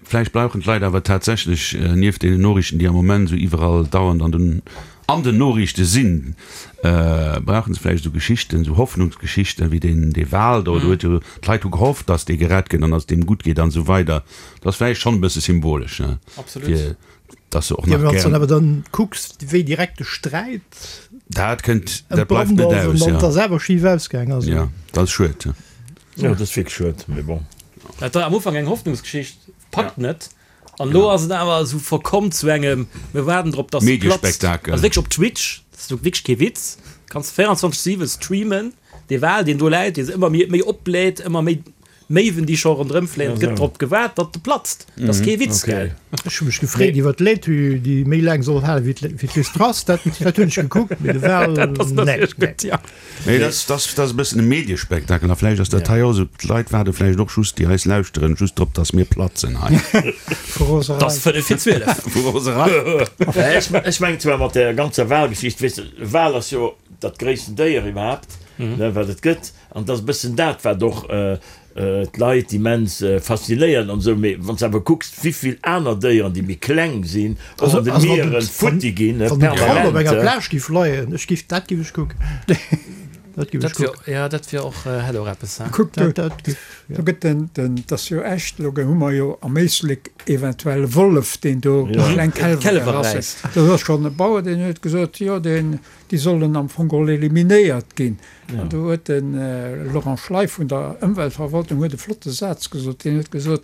vläicht brauchen d'Leit awer tatsächlech, nieft deenen Noriichten, déi am Moment esou iwwerall dauernd an den an den Noriichte sinn, brauche se vläicht esou Geschichten, esou Hoffnungsgeschichten, wéi deen dee Wal do. Do huet jo, d'Leit hu gehofft, datt dee gerett gëtt an datt et deem gutt geet an esou weider. Dat ass vläicht schonn e bësse symbolesch, ne, fir datt se och Jo, nach mee wann s de gär. dann awer dann kucks, wéi direkt de Sträit Dat kënnt, dat bleift entbrannt net ass an aus, dann jo. et ass awer schif ausgaang ass. Jo, dat ass schued. Jo, dat ass wierklech schued, mee bon. Dat war am Ufank eng Hoffnungsgeschicht, packt net. An elo ass et awer esou verkomm zu engem, mir waarden drop, dass se platzt. Mediespektakel. Also wierklech op Twitch, dat ass wierklech kee Witz, kanns 24, 7 streamen, dee Wal, deen do läit, dee sech ëmmer méi, méi opbläht, ëmmer méi Méiwen, déi scho ronderëm fléien. Et gëtt drop gewaart, datt e platzt. Dat ass kee Witz, gell? Ech hu mech gefreet iwwer d'Laitue, déi méi laang soll halen wéi d'Liz Truss. Dat hunn ech gekuckt, mee de Wal, Dat ass nee, natierlech nee. gutt, ja. Nee, dat ass e bëssen e Mediespektakel a vläicht ass dat hei och esou. D'Leit waarde vläicht och just, déi eis lauschteren, just drop, datt mir platzen hei. Vu Roserei. Et ass fënnef vir 12. Vu Roserei. Ech mengen zwar mat där ganzer Walgeschicht, weess de, e Wal ass jo dat gréissten Déier iwwerhaapt, ne, wat et gëtt. An et ass e bëssen dat, wat och d'Leit immens faszinéiert an esou, mee wann s de awer kucks, wéivill aner Déieren, déi méi kleng sinn, och an de Mieren futti ginn, Wann den Krab op enger permanent. Plage giff leien, ech giff, dat giff ech kucken. Dat giff ech Dat wier, kucken. jo, dat wier och, hätt och eppes, he? Kuck, do, Dat, dat giff, jo. do gëtt den, den, 't ass jo echt, elo hu mer jo am Éislek eventuell e Wollef, deen do kleng Kälwer Kälwer rasselt. räisst. Do ass schonn e Bauer, deen huet gesot, jo, deen, déi sollen am Fong geholl eliminéiert ginn. An do huet de Laurent Schley vun der Ëmweltverwaltung huet e flotte Saz gesot. Deen huet gesot,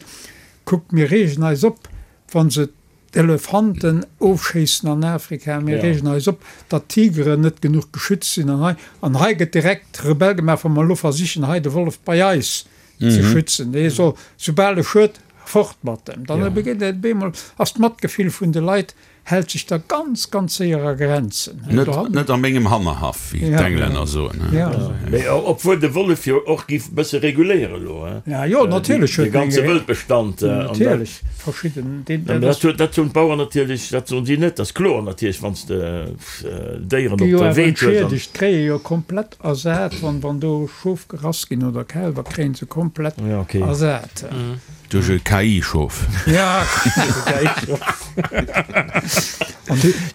Kuckt, mir reegen eis op, wa se d'Elefanten ofschéissen an Afrika, mir reegen eis op, datt d'Tigeren net genuch geschützt sinn an hei. An hei gëtt direkt Rebell gemaach, wa mer elo versichen, hei de Wollef bei eis ze schützen. Dee soll, soubal e schued, fort mat em. Dann beginnt et op eemol, ass d'Matgefill vun de Leit hält sech da ganz, ganz séier a Grenzen. Net, net a mengem Hannerhaff, wéi d'Englänner soen. Mee obwuel de Wollef jo och giff e bësse reguléieren elo, hein? Ja, jo, natierlech huet. De ganze Wëldbestand. Natierlech, verschidden. Dat huet, dat hunn d'Bauern natierlech, dat soen si net, dat ass kloer natierlech, wann s de Déieren op der Weed hues. Entschiedegt, kréie jo komplett ersat, wann, wann do Schof gerass ginn oder Kälwer, kréie se komplett ersat. Duerch e KI-Schof. Ja, KI-Schof.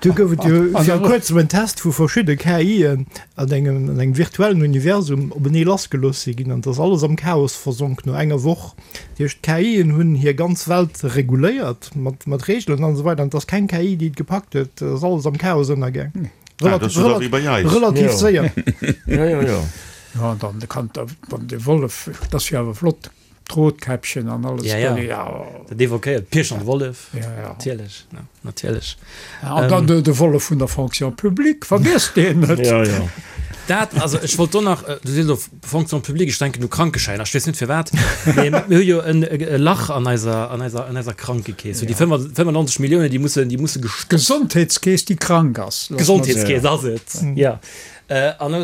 Do gouf et jo viru kuerzem en Test, wou verschidde KIen an engem an engem virtuellen Universum openee lassgelooss si ginn an et ass alles am Chaos versonk no enger Woch. Dat heescht, d'KIen hunn hir ganz Welt reguléiert mat mat Reegelen an esou weider an et ass keng KI, déi et gepackt huet. Et ass alles am Chaos ënnergaang. Relativ séier. Jo, jo, jo. Jo, an dann kann dann de Wollef, dat ass jo awer flott. D'Rotkäppchen an alles. Ja, ja. ja. Dat evoquéiert Pirsch an Wollef. Ja, ja. Natierlech, ja, natierlech. Ja, an dann de, de Wollef vun der Fonction publique, vergiesst deen net. Ja, ja. Dat, also ech wollt do nach, äh, du sees elo Fonction publique, ech denken u Krankeschäiner, ech weess net firwat, mee mir hu jo en e Lach an eiser, an eiser, an eiser Krankekeess. So déi 95 Milliounen, déi mussen, déi musse gestoppt. D'Gesondheetskeess, déi krank ass. D'Gesondheetskeess ass et, ja. An da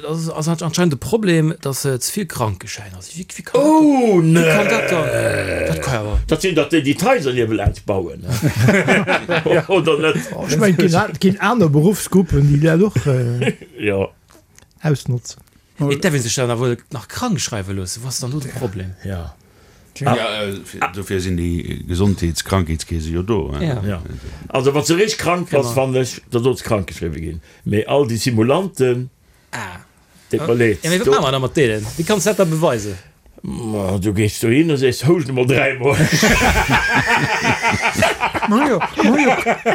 ass anscheinend de Problem, datt ze vill Krankeschäiner sinn. Wéi kann Oh dat, wéi kann dat dann, dat ka jo awer. Dat sinn dach déi, déi d'Haiser niewelaanscht bauen, oder net? Ech mengen, et ginn aner Beruffsgruppen, déi dat och ausnotzen. Mee et däerf ee sech dann awer nach krank schreiwe loossen. Wou ass dann do de Problem? Jo. Dofir sinn déi Gesondheets-Krankheetskeese jo do. Jo. Also wann s de richteg krank bass, fannen ech, da solls krank geschriwwe ginn. Mee all déi Simulanten, deet mer leed. Jo, mee wat maache mer da mat deenen? Wéi kanns de dat da beweisen? Ma du gees dohin a sees, Houscht emol dräimol. Mer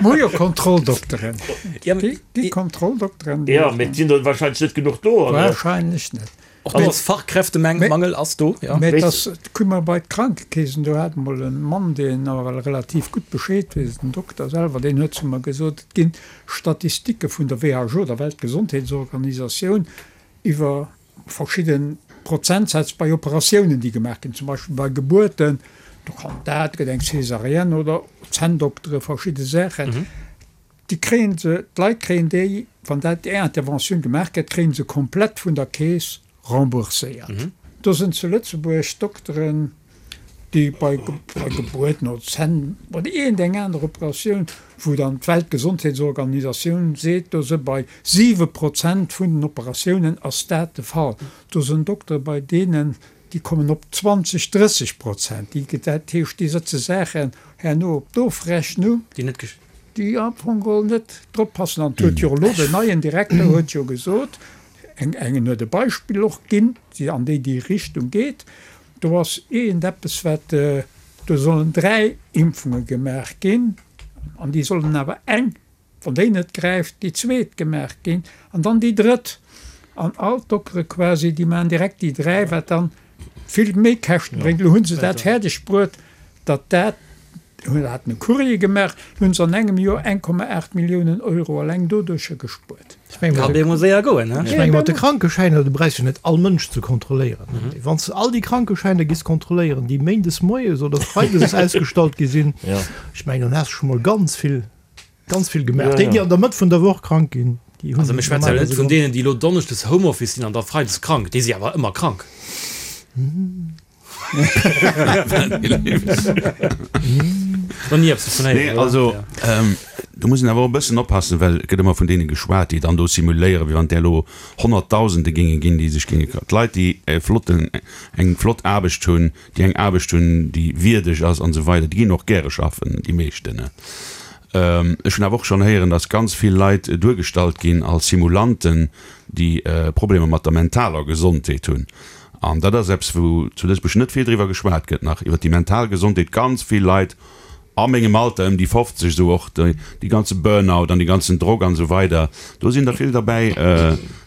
hu jo Kontrolldokteren. Déi Kontrolldokteren, déi. Jo, mee et sinn der wahrscheinlech net genuch do, oder? Wahrscheinlech net. Och do ass Fachkräftemangel ass do, jo. Mä et ass, kucke mer bei d'Krankekeesen, do hat emol e Mann, deen awer relativ gutt Bescheed weess, den Dokter selwer, deen huet zu mer gesot, et ginn Statistike vun der WHO, der Weltgesondheetsorganisatioun, iwwer verschidde Prozentsätz bei Operatiounen, déi gemaach ginn, zum Beispill bei Gebuerten, do kann dat, gëtt eng Césarienne oder Zänndoktere, verschidde Saachen. Déi kréien se, d'Leit kréien déi, wann dat déi Interventioun gemaach gëtt, kréien se komplett vun der Keess rembourséiert. Do sinn zu Lëtzebuerg Dokteren, déi bei bei Gebuerten oder Zänn oder iergend eng aner Operatioun, wou dann d'Weltgesondheetsorganisatioun seet, do se bei 7 Prozent vun den Operatiounen ass dat de Fall. Do sinn Doktere bei deenen, déi kommen op 20, 30 Prozent. Déi, dat heescht, déi sëtze Saachen herno op d'Ofrechnung. Déi net. Déi am Fong geholl net drop passen. An et huet jo elo den neien Direkter huet jo gesot, eng engen huet e Beispill och ginn, déi an déi déi Richtung geet, do ass iergendeppes wat, do sollen 3 Impfunge gemaach ginn an déi sollen awer eng, wann déi net gräift, déi zweet gemaach ginn an dann déi drëtt. An all d'Doktere quasi, déi maachen direkt déi 3, wat dann vill méi Käschte bréngt. Elo hu se dat fäerdeg bruet, datt dat, hunn haten e Courrier gemaach, hunn se an engem Joer 1,8 Milliounen Euro alleng doduercher gespuert. Ech meng, Kann bemol séier goen, he? Ech menge mat de Krankeschäiner, do bräichs jo net all Mënsch ze kontrolléieren. Wann s de all déi Krankeschäiner giss kontrolléieren, déi méindes moies oder freides ausgestallt gi sinn, ech mengen, dann häss de scho mol ganz vill, ganz vill gemaach. Déi, déi an der Mëtt vun der Woch krank ginn, déi hunn. Also mir schwätze jo net vun deenen, déi elo donneschdes Homeoffice sinn an da freides krank, déi si awer ëmmer krank. Nee, also do muss een awer och e bëssen oppassen, well et gëtt ëmmer vun deene geschwat, déi dann do simuléieren, wéi wann där elo Honnertdausende géinge ginn, déi sech géinge. D'Leit, déi e flotten, eng flott Aarbecht hunn, déi eng Aarbecht hunn, déi wierdeg ass an esou weider, déi ginn och gäre schaffen, déi meeschten. Ech hunn awer och schonn héieren, datt ganz vill Leit duergestallt ginn als Simulanten, déi Problemer mat der mentaler Gesondheet hunn. An dat ass eppes, wou zu Lëtzebuerg net vill driwwer geschwat gëtt nach, iwwer déi mental Gesondheet. Ganz vill Leit a mengem Alter, ëm déi 50, esou och dee ganze Burnout an dee ganzen Drock an esou weider, do sinn der vill derbäi.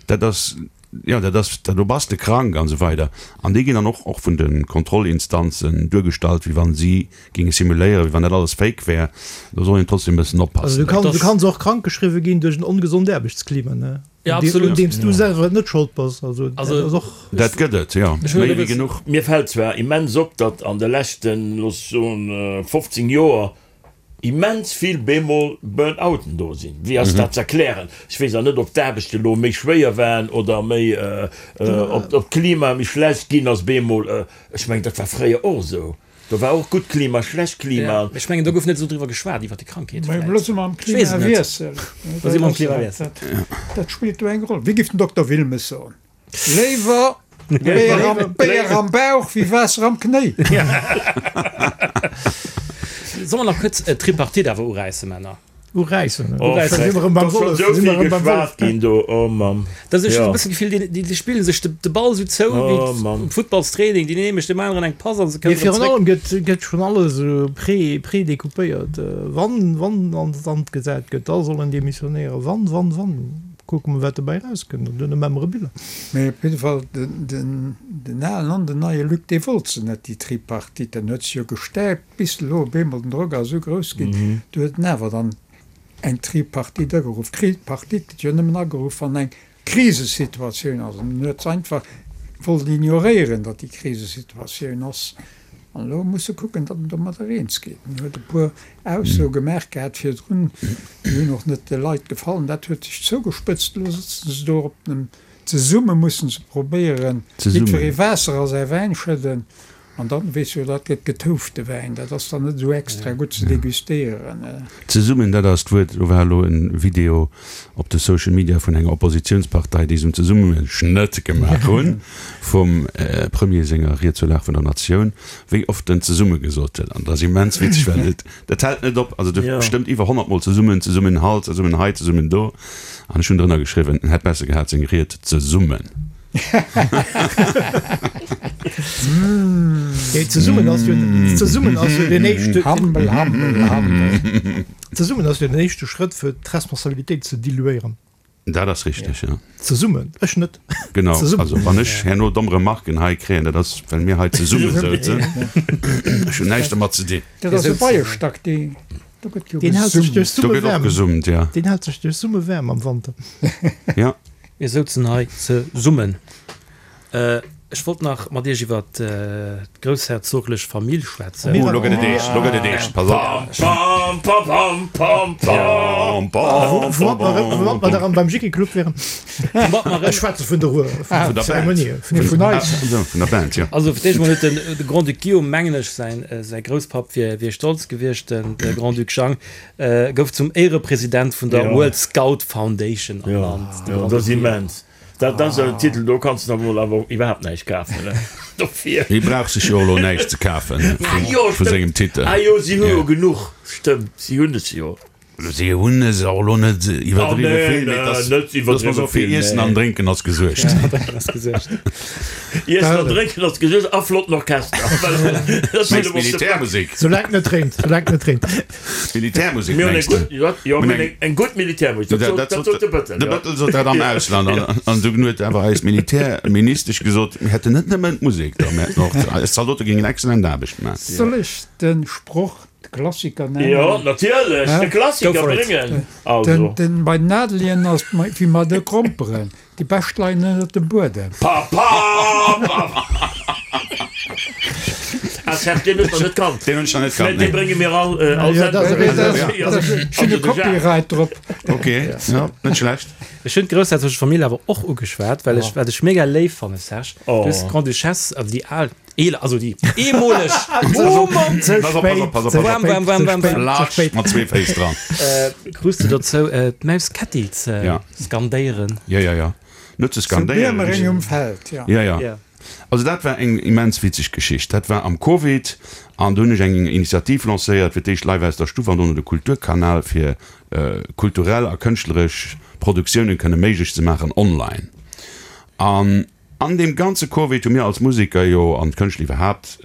Dat ass. jo, dat ass, do bass de krank an esou weider. An déi ginn dann och och vun de Kontrollinstanzen duergestallt, wéi wann si géinge simuléieren, wéi wann dat alles fake wär. Do soll een trotzdem e bëssen Also du oppassen. kanns, du kanns och krank geschriwwe ginn duerch en ongesond Aarbechtsklima, ne? Ja, Un deem, absolut. un deem s du selwer net schold bass. Also dat Also ass och. Dat gëtt et, jo, Ech hunn méi e wéi bëssen. genuch. Mir fält zwar immens op, datt an de leschten, looss soen, 15 Joer immens vill bemol Burn-outen do sinn. Wéi ass dat z'erklären? Ech weess awer net, ob d'Aarbecht elo méi schwéier waren oder méi, ob d'Klima méi schlecht ginn ass bemol. Ech mengen, dat war fréier och esou. Do war och gutt Klima, schlecht Klima. Ech mengen, do gouf net esou driwwer geschwat, iwwer déi Krankheet Mä elo si mer am Klimawiessel. Do si mer am Klimawiessel. Dat spillt do eng Roll. Wéi géif den Dokter Wilmes soen? Léiwer Béier am Bauch wéi Waasser am Knéi. Solle mer nach kuerz d'Tripartite awer uräissen, Männer? Uräissen? Oh, Uräissen. da ass schonn esou vill geschwat ginn do, oh Mann. Dat ass, ech hunn e bëssen d'Gefill, déi, déi spille sech de, de Ball esou zou wéi Oh Mann. um Futtballstraining, deen ee mécht deem aneren eng Pass a se Mee kënnen erëm virun zréck. allem gëtt, gëtt schonn alles esou pré, prédécoupéiert. Wann, wann an d'Sand gesat gëtt, da soll en demissionéieren. Wann, wann, wann. Kucke mer wat dobäi rauskënnt an duerno maache mer e Bilan. Mee op jidde Fall, den alen an den neie Luc, dee wollt se net, déi Tripartite. En huet se jo gestäipt, bis elo op eemol den Drock ass esou grouss ginn, du huet en awer dann eng Tripartite ageruff. D'Tripartite gëtt jo nëmmen ageruff, wann eng Krisesituatioun ass. An en huet se einfach wollt ignoréieren, datt déi Krisesituatioun ass. An elo muss e kucken, datt en domadder eens gétt. En huet e puer Aussoe gemaach gehat virdrun, déi hunn och net de Leit gefall. Dat huet sech zougespëtzt. Elo sëtzen se do op dem, zesumme mussen se probéieren, jiddweree Waasser a säi Wäin schëdden. An dann, weess jo, dat gëtt getoufte Wäin, dat ass dann net esou extra gutt ze degustéieren. Zesummen, dat ass d'Wuert. Elo war elo e Video op de Social Media vun enger Oppositiounspartei, déi se um Zesummeschnëtt gemaach hunn vum Premier senger Ried zur Lag vun der Natioun, wéi oft en zesumme gesot huet. An dat ass immens witzeg, well et, dat hält net op. Also de bestëmmt iwwer 100 Mol zesummen, Zesummenhalt, zesummen hei, zesummen do. An ech hunn drënner geschriwwen, en hätt besser gehat seng Ried zesummen. Nee, zesummen ass jo, zesummen ass jo den éischte. Hampel, hampel, hampel. Zesummen ass jo den éischte Schrëtt fir d'Responsabilitéit ze diluéieren. Dat ass richteg, jo. Zesummen, ech net. Genau, also wann ech herno domm Remarken hei kréien, dat ass well mir hei zesumme souzen. Ech hunn näischt dermat ze dinn. Dat ass e Beiestack, dee, do gëtt jo Deen hält sech duerch Do Summe gëtt och waarm. gesummt, ja. Deen hält sech duerch Summe waarm am Wanter. Ja. Mir souzen hei zesummen. Ech wollt nach mat Iech iwwer d'groussherzoglech Famill schwätzen. Oh, lo gëtt et eescht, lo gëtt et eescht, pass op. Pam, pam, pam, pam, pam, pam. Woumat mer da beim Jickeclub wären. Ech schwätze vun der Ruhr, vun der Zeremonie. Vun eis. Vun der Band, jo. Also fir d'éischt mol huet de Grand-Duc Guillaume, mengen ech, säi Grousspapp wier stolz gewiescht, de Grand-Duc Jang gouf zum Éierepresident vun der World Scout Foundation ernannt. Jo, dat ass immens. Dat ass en Titel, do kanns de der mol awer iwwerhaapt näischt kafen, ne? Dofir. Hie brauch sech jo elo näischt ze kafen vu sengem Titel. Ah jo, si hu jo genuch, stëmmt, si hunn es jo. Si hunn es och elo net iwwerdriwwe vill, mee dass dass mer soe fir Iessen an Drénken ass gesuergt. Iessen an Drénken ass gesuergt a flotten Orchester. Mengs Militärmusek? Soulaang et net reent, soulaang et net reent. Militärmusek mengs de? Jo, mir hunn eng gutt Militärmusek, dat sot de Bëttel. De Bëttel sot dat am Ausland. An dunn huet awer eis Militärministesch gesot, mir hätten net nëmmen d'Musek do, mir hätten och, eis Zaldote géingen excellent Aarbecht maachen. Soll ech de Sproch, de Klassiker nennen? Jo, natierlech, de Klassiker bréngen. Also. Den, bei den Adelien ass et wéi mat de Gromperen, Déi bescht leien ënnert dem Buedem. Pa pa pa. Ah Serge, deen hues de nach net kannt. Deen hunn ech nach net kannt, nee. Dee brénge mir all all Sendung. Ech hunn e Copyright drop. Ok, jo, net schlecht. Ech hunn d'groussherzoglech Famill awer och ugeschwat, well ech, wat ech mega léif fanne Serge, du hues d'Grande-Duchesse, also déi al, eeler, also déi eemoleg, oh Mann, Ze Pass op, pass op, pass op, pass op. Wam, wam, wam, wam, wam. Flatsch mat zwee Féiss dran. Krus de dozou, d'Maus Ketti ze. Skandéieren. Jo, jo, jo. Net ze skandéieren. Zu Biermereng um Feld, jo. Jo, jo. Also dat war eng immens witzeg Geschicht. Dat war am Covid an do hunn ech eng Initiativ lancéiert, fir d'éischt Live aus der Stuff an dono de Kulturkanal, fir kulturell a kënschtleresch Produktiounen kënne méiglech ze maachen online. An. An deem ganze Covid hu mir als Museker jo, an d'Kënschtler iwwerhaapt,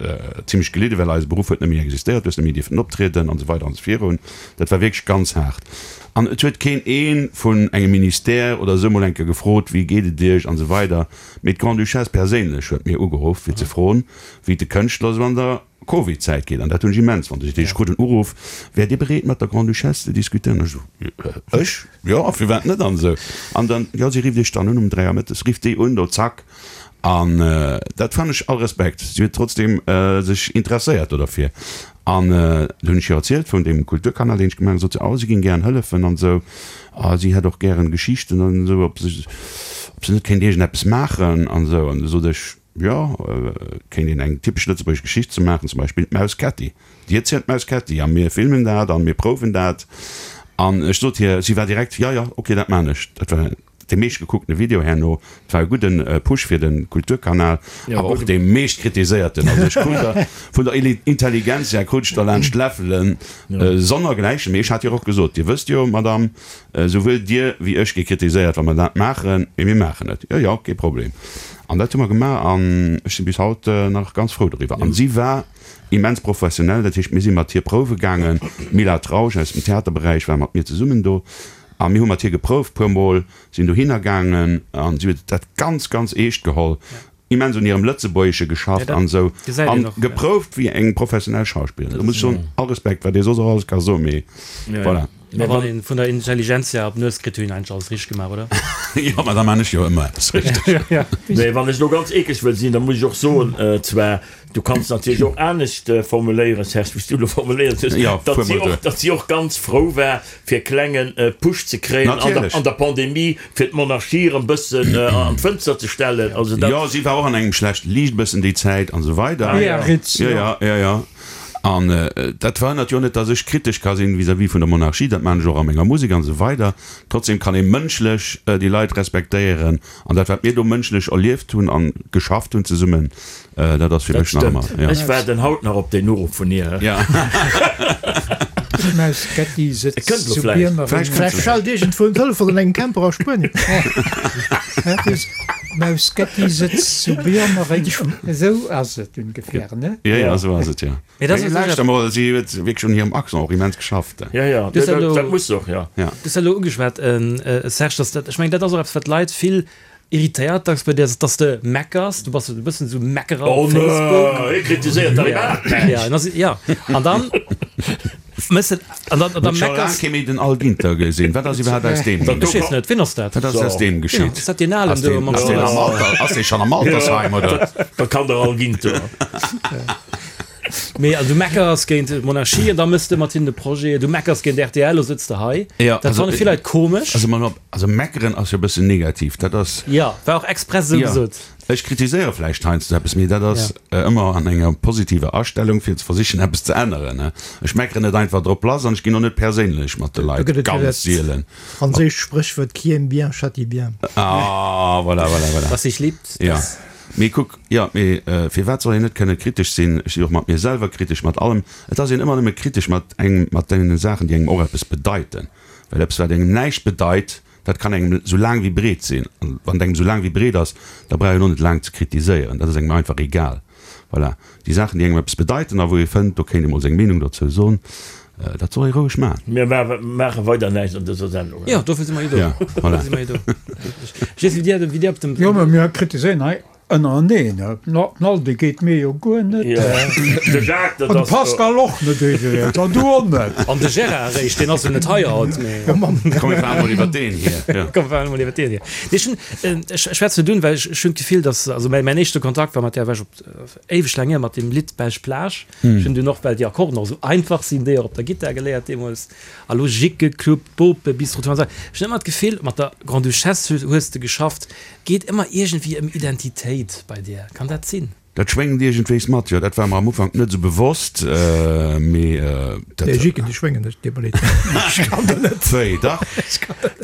zimlech gelidden, well eise Beruff huet net méi existéiert, du hues net méi dierfen optrieden an esou weider an esou virun. Dat war wierklech ganz haart. An et huet keen ee vun engem Ministère oder esou mol eng Kéier gefrot, wéi geet et iech an esou weider. Mee d'Grande-Duchesse perséinlech huet mir ugeruff, fir ze froen, wéi et de Kënschtler esou an der Covid-Zäit geet. An dat hunn ech immens fonnt. Ech krut en Uruff, Wäert Dir bereet, mat der Grande-Duchesse ze diskutéieren? Ech esou, Ech? Jo, firwat net? An esou. An dann, jo, si rifft Iech dann un um 3 Auer mëttes, rifft déi un, do zack. An dat fannen ech, all Respekt, si huet trotzdeem sech interesséiert do derfir. An du hunn ech hir erzielt vun deem Kulturkanal, deen ech gemaach hunn, sot se, oh, si géing gären hëllefen an esou. A si hätt och gären Geschichten an esou, ob se, ob se net kéint iergendeppes maachen an esou. An du sot ech, Jo, et kéint een eng typesch lëtzebuergesch Geschicht ze maachen, zum Beispill d'Maus Kätti. Dir zielt d'Maus Kätti a mir filmen dat a mir prouwen dat. An ech sot hir, si war direkt, jo, jo, ok, dat maan ech. Dat war dee meeschtgekuckte Video herno. Et war e gudde Push fir de Kulturkanal, awer och dee meescht kritiséierten. Also ech krut der vun der Intelligentsia krut ech der laanscht d'Läffelen sonnergläichen. Mee ech hat hir och gesot, Dir wësst jo, Madame, Souwuel Dir wéi ech gi kritiséiert, wa mer dat maachen, mee mir maachen et. Jo, jo, kee Problem. An dat hu mer gemaach an ech si bis haut nach ganz frou doriwwer. An si war immens professionell, dat heescht, mir si mat hir prouwe gaangen. D'Mila Trausch aus dem Theaterberäich war mat mir zesummen do a mir hu mat hir geprouft puer Mol, sinn dohinner gaangen an si huet dat ganz, ganz eescht geholl. Immens un hirem Lëtzebuergesche geschafft an esou an geprouft wéi eng professionell Schauspillerin. Do muss ech soen, all Respekt, wat ee soss och alles ka soen, mee voilà. Mä wann een vun der Intelligentsia op d'Nues kritt, hunn een eigentlech alles richteg gemaach, oder? Jo, mä da maan ech jo ëmmer eppes richteg. Mee wann ech elo ganz eeklech wëll sinn, da muss ech och soen, zwar, du kanns natierlech och anescht formuléieren, Serge, wéi s du elo formuléiert hues, datt si och, datt si och ganz frou war, fir e klenge Push ze kréien an der Pandemie, fir d'Monarchie erëm bëssen an d'Fënster ze stellen. Also dat. Jo, si war och an engem schlechte Liicht bëssen déi Zäit an esou weider. Biarritz, jo. Jo, jo, jo. An dat verhënnert jo net, datt ech kritesch ka sinn vis-à-vis vun der Monarchie. Dat maachen ech och a menger Musek an esou weider. Trotzdem kann ee mënschlech déi Leit respektéieren. An dat, wat mir do mënschlech erlieft hunn a geschafft hunn zesummen, Dat ass fir mech nach ëmmer, ja. Ech waarden haut nach op deen Uruff vun hir. Ja. D'Maus Ketti sëtzt zu Biermereng. Vläicht schellt iergendwou en Telefon an engem Camper a Spuenien. D'Maus Ketti sëtzt zu Biermereng. Esou ass et ungefähr, ne? Jo, jo, esou ass et, jo. Mee dat ass Mee lauschter mol, si huet wierklech un hirem Accent och immens geschafft. Jo, jo, dat muss se och, jo. Du hues dat elo ugeschwat, Serge, dass dat, ech mengen, dat ass och eppes, wat d'Leit vill Irritéiert dacks bei dir ass, dass de meckers, du bass e bëssen esou Meckerer op Facebook. Oh nee, hie kritiséiert dach iwwerhaapt näischt. Ja, ja, an dann mëss de, an dann, an dann Huet scho laang meckers. kee méi den Al Ginter gesinn. Wat ass iwwerhaapt aus deem ginn? Ech weess net, wien ass dat? Wat ass aus deem geschitt? Ass dat deen Alen Ass do deen, mam ass deen am Schnoz? Alter, ass dee schonn am Altersheim, oder? Dat kann der Al Ginter. Mee also du meckers géint d'Monarchie an da mëss de mat hinnen e Projet, du meckers géint rtl, lo sëtz de hei. Ja, Dat also, fanne vill Leit komesch. also mol op, also meckeren ass jo e bëssen negativ, dat ass. Ja, war och express esou Ja, gesot. ech kritiséiere vläicht heiansdo eppes, mee dat ass ëmmer an enger positiver Astellung fir ze versichen eppes ze änneren, ne. Ech meckeren net einfach drop lass an ech ginn och net perséinlech mat de Do Leit, gëtt et jo ganz dat sielen. franséischt Spréchwuert Qui aime bien châtie bien. Ah, voilà, voilà, voilà. Was sich liebt, Ja. das. Mee kuck, jo, mee firwat soll een net kënne kritesch sinn? Ech si och mat mir selwer kritesch, mat allem. Et ass een ëmmer nëmme kritesch mat engem, mat deene Saachen, déi engem och eppes bedeiten. Well eppes, wat engem näischt bedeit, dat kann engem esou laang wéi breet sinn. An wann et engem esou laang wéi breet ass, da brauch een och net laang ze kritiséieren. Dat ass engem einfach egal. Voilà. Déi Saachen, déi engem eppes bedeiten a wou ee fënnt, do kéint ee mol seng Meenung dozou soen, dat soll ee roueg maachen. Mir maache weider näischt an dëser Sendung. Jo, dofir si mer jo do. Ja, voilà. Dofir si mer jo do. Ech weess, wéi Dir, wéi Dir op dem. Jo, mä mir kritiséieren hei ënnereneen. Den Aldi geet mir jo guer net. De Jacques, dat An de ass. Pascal och net iwwregens. An du och net. An de Gérard eréischt, deen ass jo net hei haut, mee. Komm, mir fahren mol iwwer deen hier. Ja. Komm, mir fahren mol iwwer deen hier. Nee, ech hunn, ech schwätze net un, well ech, ech hunn d'Gefill, dass, also mäin, mäin éischte Kontakt war mat där, war ech op, éiweg laang hier, mat deem Lidd Belsch Plage. Ech hunn dunn och, well déi Akkorden och esou einfach sinn, déi och op der Gittar geléiert deemools. A lo Jickeclub, Bope, Bistro Tour an esou. Ech hunn ëmmer d'Gefill, mat der Grande-Duchesse hues de geschafft, geet ëmmer iergendwéi ëm Identitéit bei dir. Kann dat sinn? Dat schwéngt iergendwéis mat, jo. Dat war mer am Ufank net esou bewosst, mee dat. Déi Jicken, déi schwéngen net, deet mer leed. Ech kann dat net. Wéi, dach?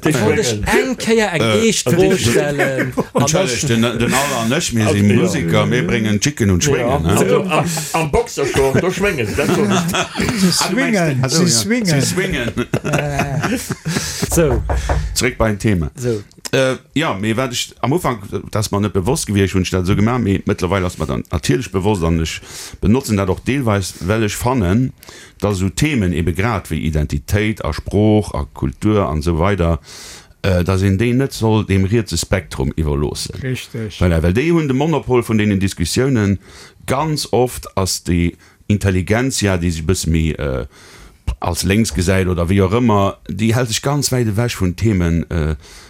Déi Wollt ech schwéngen. eng Kéier eng eescht Fro stellen. Entschëllegt, den Al an ech, mir si Museker, mir bréngen d'Jicken un d'Schwéngen, ne? Also am Boxershort, do schwénge se, dat soen ech der. Se swingen, se swingen. Se swingen. Sou. Zréck beim Thema. Sou. Jo, mee wat ech am Ufank, dat ass mer net bewosst gewiescht, hunn ech dat esou gemaach, mee mëttlerweil ass mer dat natierlech bewosst an ech benotzen dat och deelweis, well ech fannen, dass esou Themen ebe grad wéi Identitéit a Sprooch a Kultur an esou weider, dass een déi net soll deem rietse Spektrum iwwerloossen. Richteg. Voilà, well déi hunn de Monopol vun deenen Diskussiounen. Ganz oft ass déi Intelligentsia, déi sech e bësse méi als lénks gesäit oder wéi och ëmmer, déi hält sech ganz wäit ewech vun Themen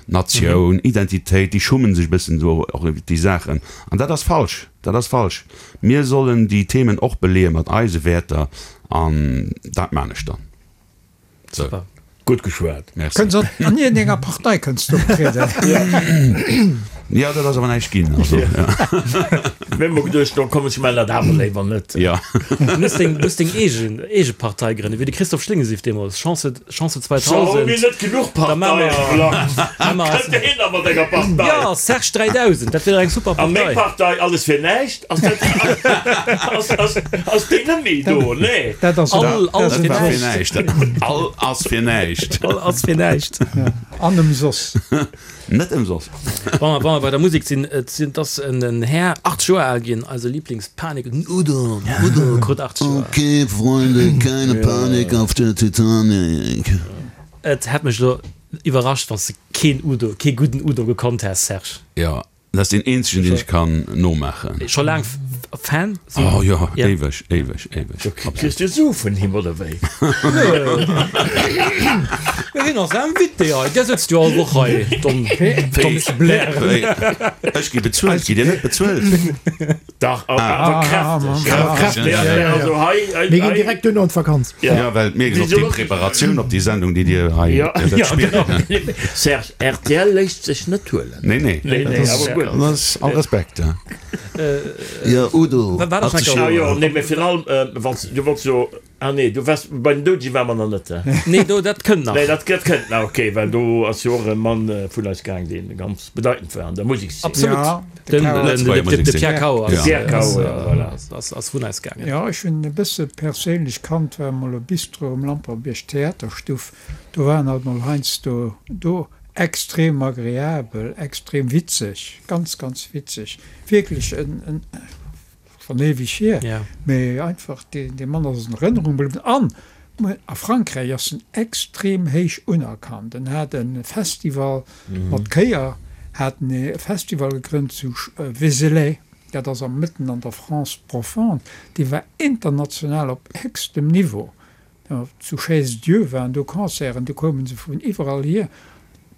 Natioun, Identitéit, déi schummen sech e bëssen do och iwwer déi Saachen. An dat ass falsch, dat ass falsch. Mir sollen déi Themen och beleeë mat eise Wäerter an dat maan ech dann. Super. Gutt geschwat. Merci. Kënns an an iergendenger Partei kënns du optrieden. Jo, dat ass awer näischt ginn. Also, ja. Mir hu mer geduecht, no komm, ech man dat awer léiwer net. Ja. Du muss deng, muss deng eegen, eege Partei grënnen, wéi de Christophe Schlingesif deemools, Chance, Chance So, hu mir 2000. net genuch Da maache Parteien am mer, Land? maache mer Kënnt deen da mat enger Partei? Ja, Serge 3000, dat wier dach eng super A meng Partei. Partei, Alles fir näischt, ass dat, ass, ass, ass déi net méi do? Nee. Dat ass All, all Dat fir war fir näischt. näischt. All ass fir näischt. All ass fir näischt. An ëmsoss. Net ëmsoss. Wa mer, wa mer bei der Musek sinn, et sinn, et ass en, en Här 80 Joer al ginn, eise Lieblingspanik, den Udo, den Udo krut 80 Joer. Okay, Freunde, keine Panik auf der Titanic. Et hätt mech elo iwwerrascht, wann s de keen Udo, kee gudden Udo gekonnt häss, Serge. Jo, Dat ass deen eenzegen, deen ech kann nomaachen. Scho laang Fan? Oh jo, éiweg, éiweg, éiweg. Du kriss jo Sue vun him, oder wéi? Jo, hien ass Invité hei. Där sëtzt jo all Woch hei, domm, domm ze blären. Ech gi bezuelt, gitt Dir net bezuelt? Dach, awer kräfteg. Awer kräfteg, ja, ja. Also hei, hei, Mir ginn direkt duerno an d'Vakanz. Ja, well mir ginn op déi Preparatioun, op déi Sendung, déi Dir hei wäert spillen. Serge, rtl léisst sech net huelen. Nee, nee. Nee, nee, awer gutt. Dat ass all Respekt, ja. Jo, Udo, Wat ass 80 enker? Ah jo, nee, mee virun allem, wann s, du wollts jo, ah nee, du waars, bei den Doudege ware mer nach net, he? Nee, do, dat kënnt nach. Nee, dat, dat kënnt nach, okay, well do ass jo och e Mann vun eis gaang, deen ganz bedeitend war an der Musekszeen. Absolut. Ja, de Den, Cao. den, de, de, de Pierre Cao ass, De Pierre Cao, ja, voilà. ass, ass, ass vun eis gaangen. Ja, ech hunn en e bësse perséinlech kannt, war emol e Bistro um Lampertbierg, Theaterstuff, do war en alt mol heiansdo do, extrem agreabel, extrem witzeg, ganz, ganz witzeg, wierklech en, en, schonn éiweg hier, mee einfach dee, dee Mann ass an Erënnerung bliwwen an a Frankräich ass en extrem héich unerkannt. En hat e Festival mat Chéier, hat en e Festival gegrënnt zu Vézelay, dat ass am mëtten an der France profonde, dee war international op héchstem Niveau. Zu Chaise-Dieu waren do Concerten, do koume se vun iwwerall hier.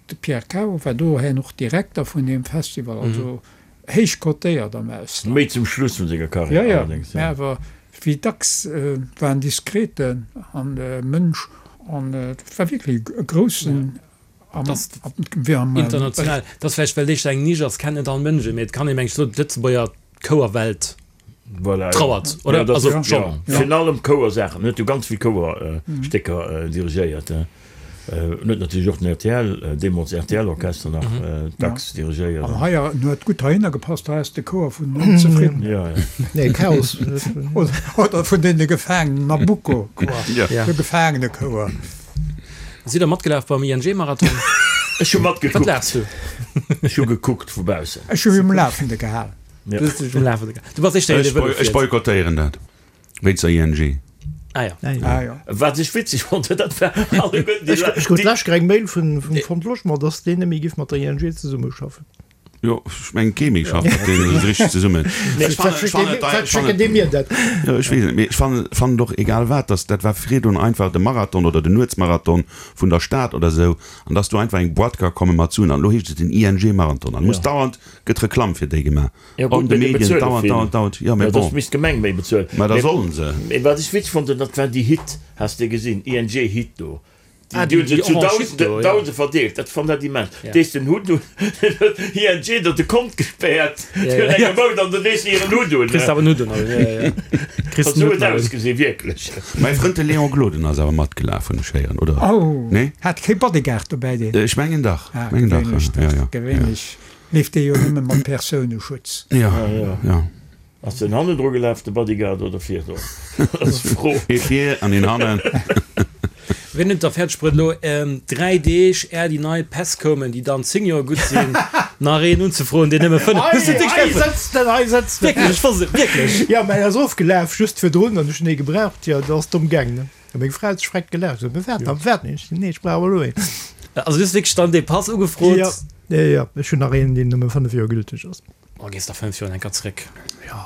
De Pierre Cao war dohin och Direkter vun deem Festival, also héich cotéiert am Ausland. Méi zum Schluss vun senger Karriär allerdéngs, jo. Jo, jo, mä awer wéi dacks war en diskreten Mënsch an et war wierklech e groussen International. Dat ass vläicht, well déi eng Nisch ass, kennt net all Mënsch en, mee et kann ee meng ech soen, d'Lëtzebuerger Chouerwelt Voilà, trauert, oder? Ja, dat, Also ja, schon. Virun allem Chouersaachen. En huet jo ganz vill Chouerstécker dirigéiert. En huet natierlech och den rtl, deemools RTL-Orchester nach dacks dirigéiert. An hei, en huet gutt heihinner gepasst, hei ass de Chouer vun den Onzefriddenen. Ja, ja. Nee, Chaos. Oder vun deene Gefaangenen, Nabucco-Chouer, de Gefaangenechouer. Sidd der matgelaf beim ING-Marathon? Ech hu matgekuckt. Wat laachs du? Ech hu gekuckt vu baussen. Ech hu mech um Lafende gehalen. Du hues dech um Lafende gehalen. Du bass éischter een, dee Vëlo Ech fiert. boykottéieren dat wéinst der ING. Ah ja. Ah jo. Wat ech witzeg fonnt hunn, dat war alleguerten déi Ech krut d'lescht Kéier eng Mail vum Front Logement, dass deen net méi giff mat der ING zesummeschaffen. Jo, ech mengen kee méi schafft mat deenen esou richteg zesummen. Ech fannen, ech fannen et, Wat ech fannen schécken déi mir dat? Jo, ech weess et net, mee ech fannen, fannen et och egal wat, dass dat war virdrun einfach de Marathon oder den Nuetsmarathon vun der Stad oder esou, an dass do einfach eng Boîte ka komme mat Suen, an elo heescht et den ING-Marathon, an muss dauernd gëtt Reklamm fir déi gemaach Jo an gutt, de mee déi Medien, bezuele dauernd, vill. dauernd, dauernd, jo, mee Jo, bon. dass misst d'Gemeng méi bezuelen. Mä da Mee, sollen se. mee wat ech witzeg fonnt hunn, dat war déi Hit, has de gesinn, ING-Hit do. Ah, Déi hunn se déi zu orange Hit Dausende, do, ja. Dausende verdeelt. Dat fand dat immens. Ja. Dees den Hutt un, huet ING der de Kont gespäert Ja, fir ja. enge Mount an den dees hiren Hutt un. Kriss awer en Hutt un, ja, ja, ja. Kriss Esou den Hutt huet nach un. ausgesinn, wierklech. Mäi Frënd de Léon Gloden ass awer matgelaf, hunn ech héieren, oder? Oh, Nee? hat kee Bodyguard dobäi, deen? Ech mengen dach, Ah, mengen dach, gewéinlech ja, dach. ja, ja. Gewéinlech leeft dee jo nëmme mat Persouneschutz. Ja, ja. Ass den hannendru gelaf, de Bodyguard, oder virdru? Dat ass d'Fro. Ee vir an een hannen. Wien huet da fäerdeg bruet elo 3 Deeg är déi nei Päss koumen, déi dann 10 Joer gutt sinn, nach een unzefroen, deen nëmme 5. Hei sëtzt en, hei sëtzt en. Wierklech, ech wosst et, wierklech. Jo, mäin ass ofgelaf just virdrun an ech hunn ee gebraucht. Jo, dat ass domm gaang, ne? A meng Fra huet sech vreckt gelaacht, sot, Wat dann, wat? Ech sot, Nee, ech brauch awer elo een. Also du hues wierklech dann dee Pass ugefrot? Jo, jo, jo, ech hunn nach een, deen nëmme 5 Joer gülteg ass. Oh, gees da 5 Joer enker zréck,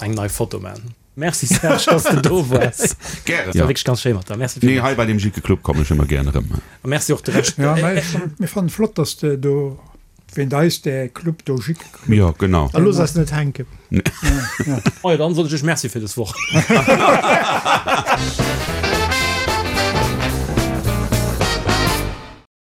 eng nei Foto man. Merci Serge, dass de do waars. Gären. War wierklech ganz schéi mat der. Merci Nee, villmools. hei bei dem Jickeclub Club kommen ech ëmmer gären erëm. A merci och de Rescht. Ja, mä ech fannen, mir fannen flott, dass de do wéint eis däi Club do, Jickeclub. Jo, genau. A looss eis net hänken. Majo, dann soen ech iech Merci fir des Woch.